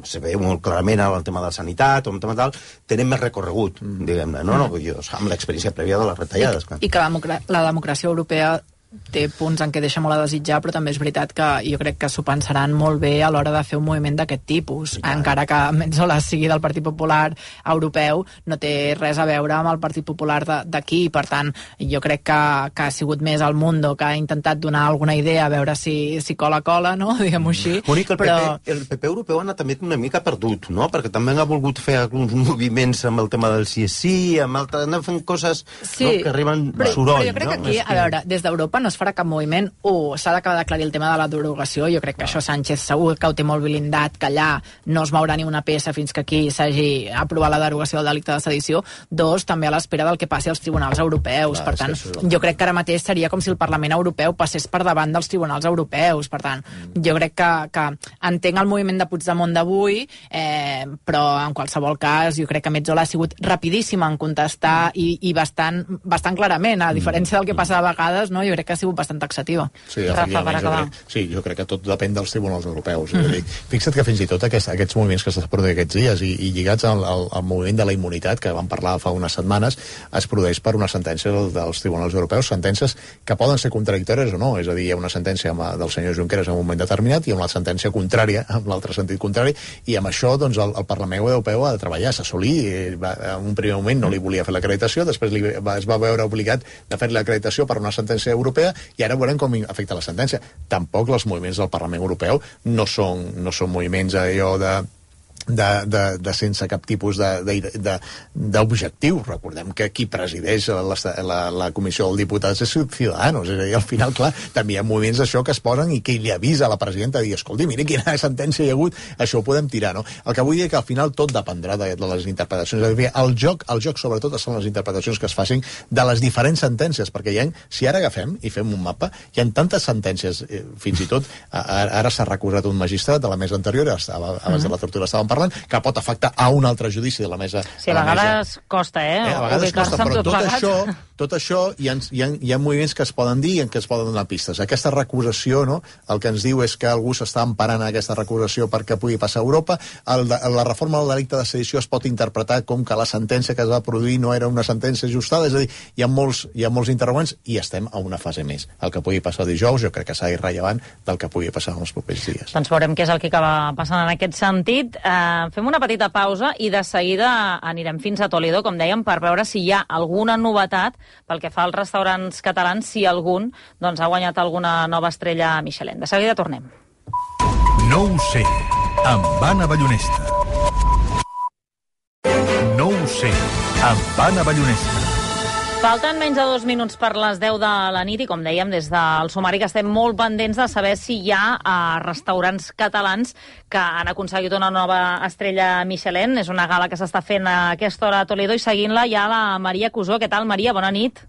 se veu molt clarament el tema de la sanitat, o el tema tal, tenen més recorregut, mm. diguem-ne, no? no? Jo, amb l'experiència prèvia de les retallades. I, i que la, democrà la democràcia europea té punts en què deixa molt a desitjar, però també és veritat que jo crec que s'ho pensaran molt bé a l'hora de fer un moviment d'aquest tipus. Encara que Metsola sigui del Partit Popular Europeu, no té res a veure amb el Partit Popular d'aquí. Per tant, jo crec que, que ha sigut més el Mundo que ha intentat donar alguna idea, a veure si, si cola-cola, no? Diguem-ho així. Únic, el, però... P P, el P P europeu ha anat també una mica perdut, no? Perquè també ha volgut fer alguns moviments amb el tema del sí és sí, amb altres, han fent coses sí, no? que arriben però, soroll. Però jo crec no? que aquí, que... a veure, des d'Europa no es farà cap moviment. Un, s'ha d'acabar d'aclarir el tema de la derogació. Jo crec que això Sánchez segur que ho té molt blindat, que allà no es mourà ni una peça fins que aquí s'hagi aprovat la derogació del delicte de sedició. Dos, també a l'espera del que passi als tribunals europeus. Clar, per tant, jo crec que ara mateix seria com si el Parlament Europeu passés per davant dels tribunals europeus. Per tant, jo crec que, que entenc el moviment de Puigdemont d'avui, eh, però en qualsevol cas jo crec que Metsola ha sigut rapidíssima en contestar i, i bastant, bastant clarament, a diferència del que passa de vegades, no? Jo crec que ha sigut bastant taxativa. Sí, Rafa, per acabar. Crec, sí, jo crec que tot depèn dels tribunals europeus. Mm. Dir, fixa't que fins i tot aquests, aquests moviments que s'han produït aquests dies i, i lligats al, al, al moviment de la immunitat, que vam parlar fa unes setmanes, es produeix per una sentència dels, dels tribunals europeus, sentències que poden ser contradictòries o no, és a dir, hi ha una sentència amb, del senyor Junqueras en un moment determinat i una sentència contrària, en l'altre sentit contrari, i amb això doncs, el, el Parlament Europeu ha de treballar, s'assolir, en un primer moment no li volia fer l'acreditació, després li va, es va veure obligat de fer l'acreditació per una sentència europea i ara veurem com afecta la sentència. Tampoc els moviments del Parlament Europeu no són, no són moviments allò de De, de, de sense cap tipus d'objectiu. Recordem que qui presideix la, la, la comissió dels diputats és Ciudadanos, és a dir, al final, clar, també hi ha moviments d'això que es posen i que li avisa a la presidenta de dir, escolti, mira quina sentència hi ha hagut, això ho podem tirar, no? El que vull dir que al final tot dependrà de, de les interpretacions. És a dir, el joc, el joc sobretot són les interpretacions que es facin de les diferents sentències, perquè hi ha, si ara agafem i fem un mapa, hi ha tantes sentències, eh, fins i tot, ara, ara s'ha recusat un magistrat de la mesa anterior, estava, abans de la tortura estàvem parlant, que pot afectar a un altre judici de la mesa. Sí, a, a vegades mesa. Costa, eh? eh a vegades costa, però tot, tot això, tot això hi ha, hi, ha, hi ha moviments que es poden dir i en què es poden donar pistes. Aquesta recusació, no?, el que ens diu és que algú s'està emparant a aquesta recusació perquè pugui passar a Europa. El, la reforma del delicte de sedició es pot interpretar com que la sentència que es va produir no era una sentència ajustada, és a dir, hi ha molts, hi ha molts interrogants i estem a una fase més. El que pugui passar dijous jo crec que serà irrellevant del que pugui passar en els propers dies. Doncs veurem què és el que acaba passant en aquest sentit. Eh, fem una petita pausa i de seguida anirem fins a Toledo, com dèiem, per veure si hi ha alguna novetat pel que fa als restaurants catalans, si algun doncs, ha guanyat alguna nova estrella Michelin. De seguida tornem. No ho sé, amb Anna Ballonesta. No ho sé, amb Anna Ballonesta. Falten menys de dos minuts per les deu de la nit i, com dèiem, des del sumari que estem molt pendents de saber si hi ha uh, restaurants catalans que han aconseguit una nova estrella Michelin. És una gala que s'està fent a aquesta hora a Toledo i seguint-la hi ha la Maria Cusó. Què tal, Maria? Bona nit.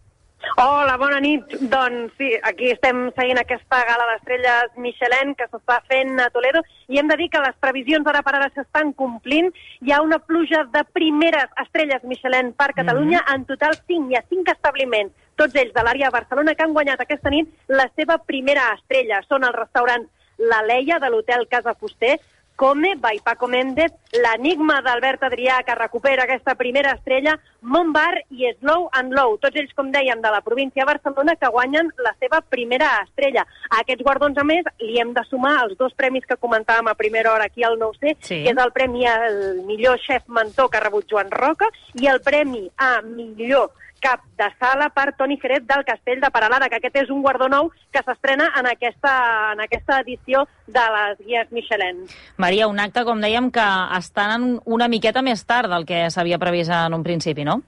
Hola, bona nit. Doncs sí, aquí estem seguint aquesta gala d'estrelles Michelin que s'està fent a Toledo i hem de dir que les previsions ara per ara s'estan complint. Hi ha una pluja de primeres estrelles Michelin per Catalunya. Mm-hmm. En total cinc, hi ha cinc establiments, tots ells de l'àrea de Barcelona, que han guanyat aquesta nit la seva primera estrella. Són els restaurants La Leia, de l'hotel Casa Fuster, Come, by Paco Méndez, l'Enigma d'Albert Adrià, que recupera aquesta primera estrella, Montbar i Slow and Low, tots ells, com dèiem, de la província de Barcelona, que guanyen la seva primera estrella. A aquests guardons, a més, li hem de sumar els dos premis que comentàvem a primera hora aquí al Nou C, sí. Que és el premi al millor xef mentor que ha rebut Joan Roca i el premi a millor cap de sala per Toni Jerez del Castell de Peralada, que aquest és un guardó nou que s'estrena en aquesta, en aquesta edició de les guies Michelin. Maria, un acte, com dèiem, que estan una miqueta més tard del que s'havia previst en un principi, no?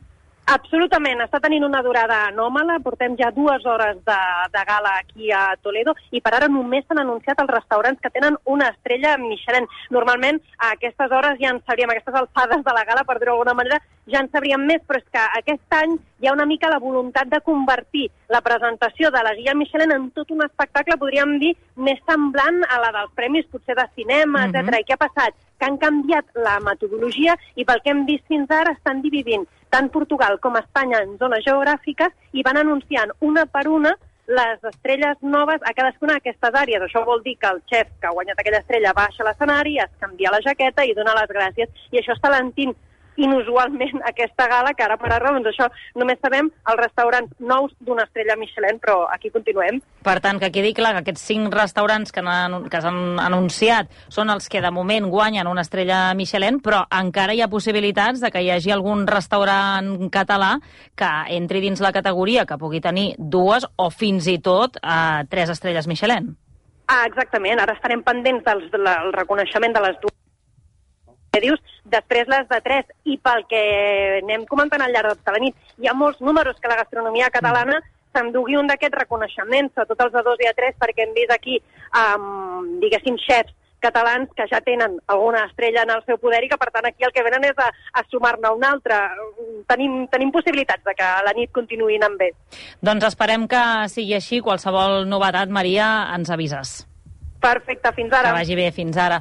Absolutament, està tenint una durada anòmala, portem ja dues hores de, de gala aquí a Toledo i per ara només s'han anunciat els restaurants que tenen una estrella Michelin. Normalment a aquestes hores ja en sabríem, a aquestes alçades de la gala, per dir-ho d'alguna manera, ja en sabríem més, però és que aquest any hi ha una mica la voluntat de convertir la presentació de la guia Michelin en tot un espectacle, podríem dir, més semblant a la dels premis, potser de cinema, etcètera. Mm-hmm. I què ha passat? Que han canviat la metodologia i pel que hem vist fins ara estan dividint tant Portugal com Espanya en zones geogràfiques i van anunciant una per una les estrelles noves a cadascuna d'aquestes àrees. Això vol dir que el xef que ha guanyat aquella estrella baixa a l'escenari, es canvia la jaqueta i dona les gràcies. I això està alentint inusualment aquesta gala, que ara per ara, doncs això, només sabem els restaurants nous d'una estrella Michelin, però aquí continuem. Per tant, que quedi clar que aquests cinc restaurants que, han, que s'han anunciat són els que de moment guanyen una estrella Michelin, però encara hi ha possibilitats de que hi hagi algun restaurant català que entri dins la categoria, que pugui tenir dues o fins i tot eh, tres estrelles Michelin. Ah, exactament. Ara estarem pendents del, del reconeixement de les dues que dius, després les de tres, i pel que anem comentant al llarg de tota la nit, hi ha molts números que la gastronomia catalana s'endugui un d'aquests reconeixements, sobretot els A dos i A tres, perquè hem vist aquí, um, diguéssim, xefs catalans que ja tenen alguna estrella en el seu poder i que, per tant, aquí el que venen és a, a sumar-ne una altra. Tenim, tenim possibilitats de que la nit continuï anant bé. Doncs esperem que sigui així. Qualsevol novetat, Maria, ens avises. Perfecte, fins ara. Que vagi bé, fins ara.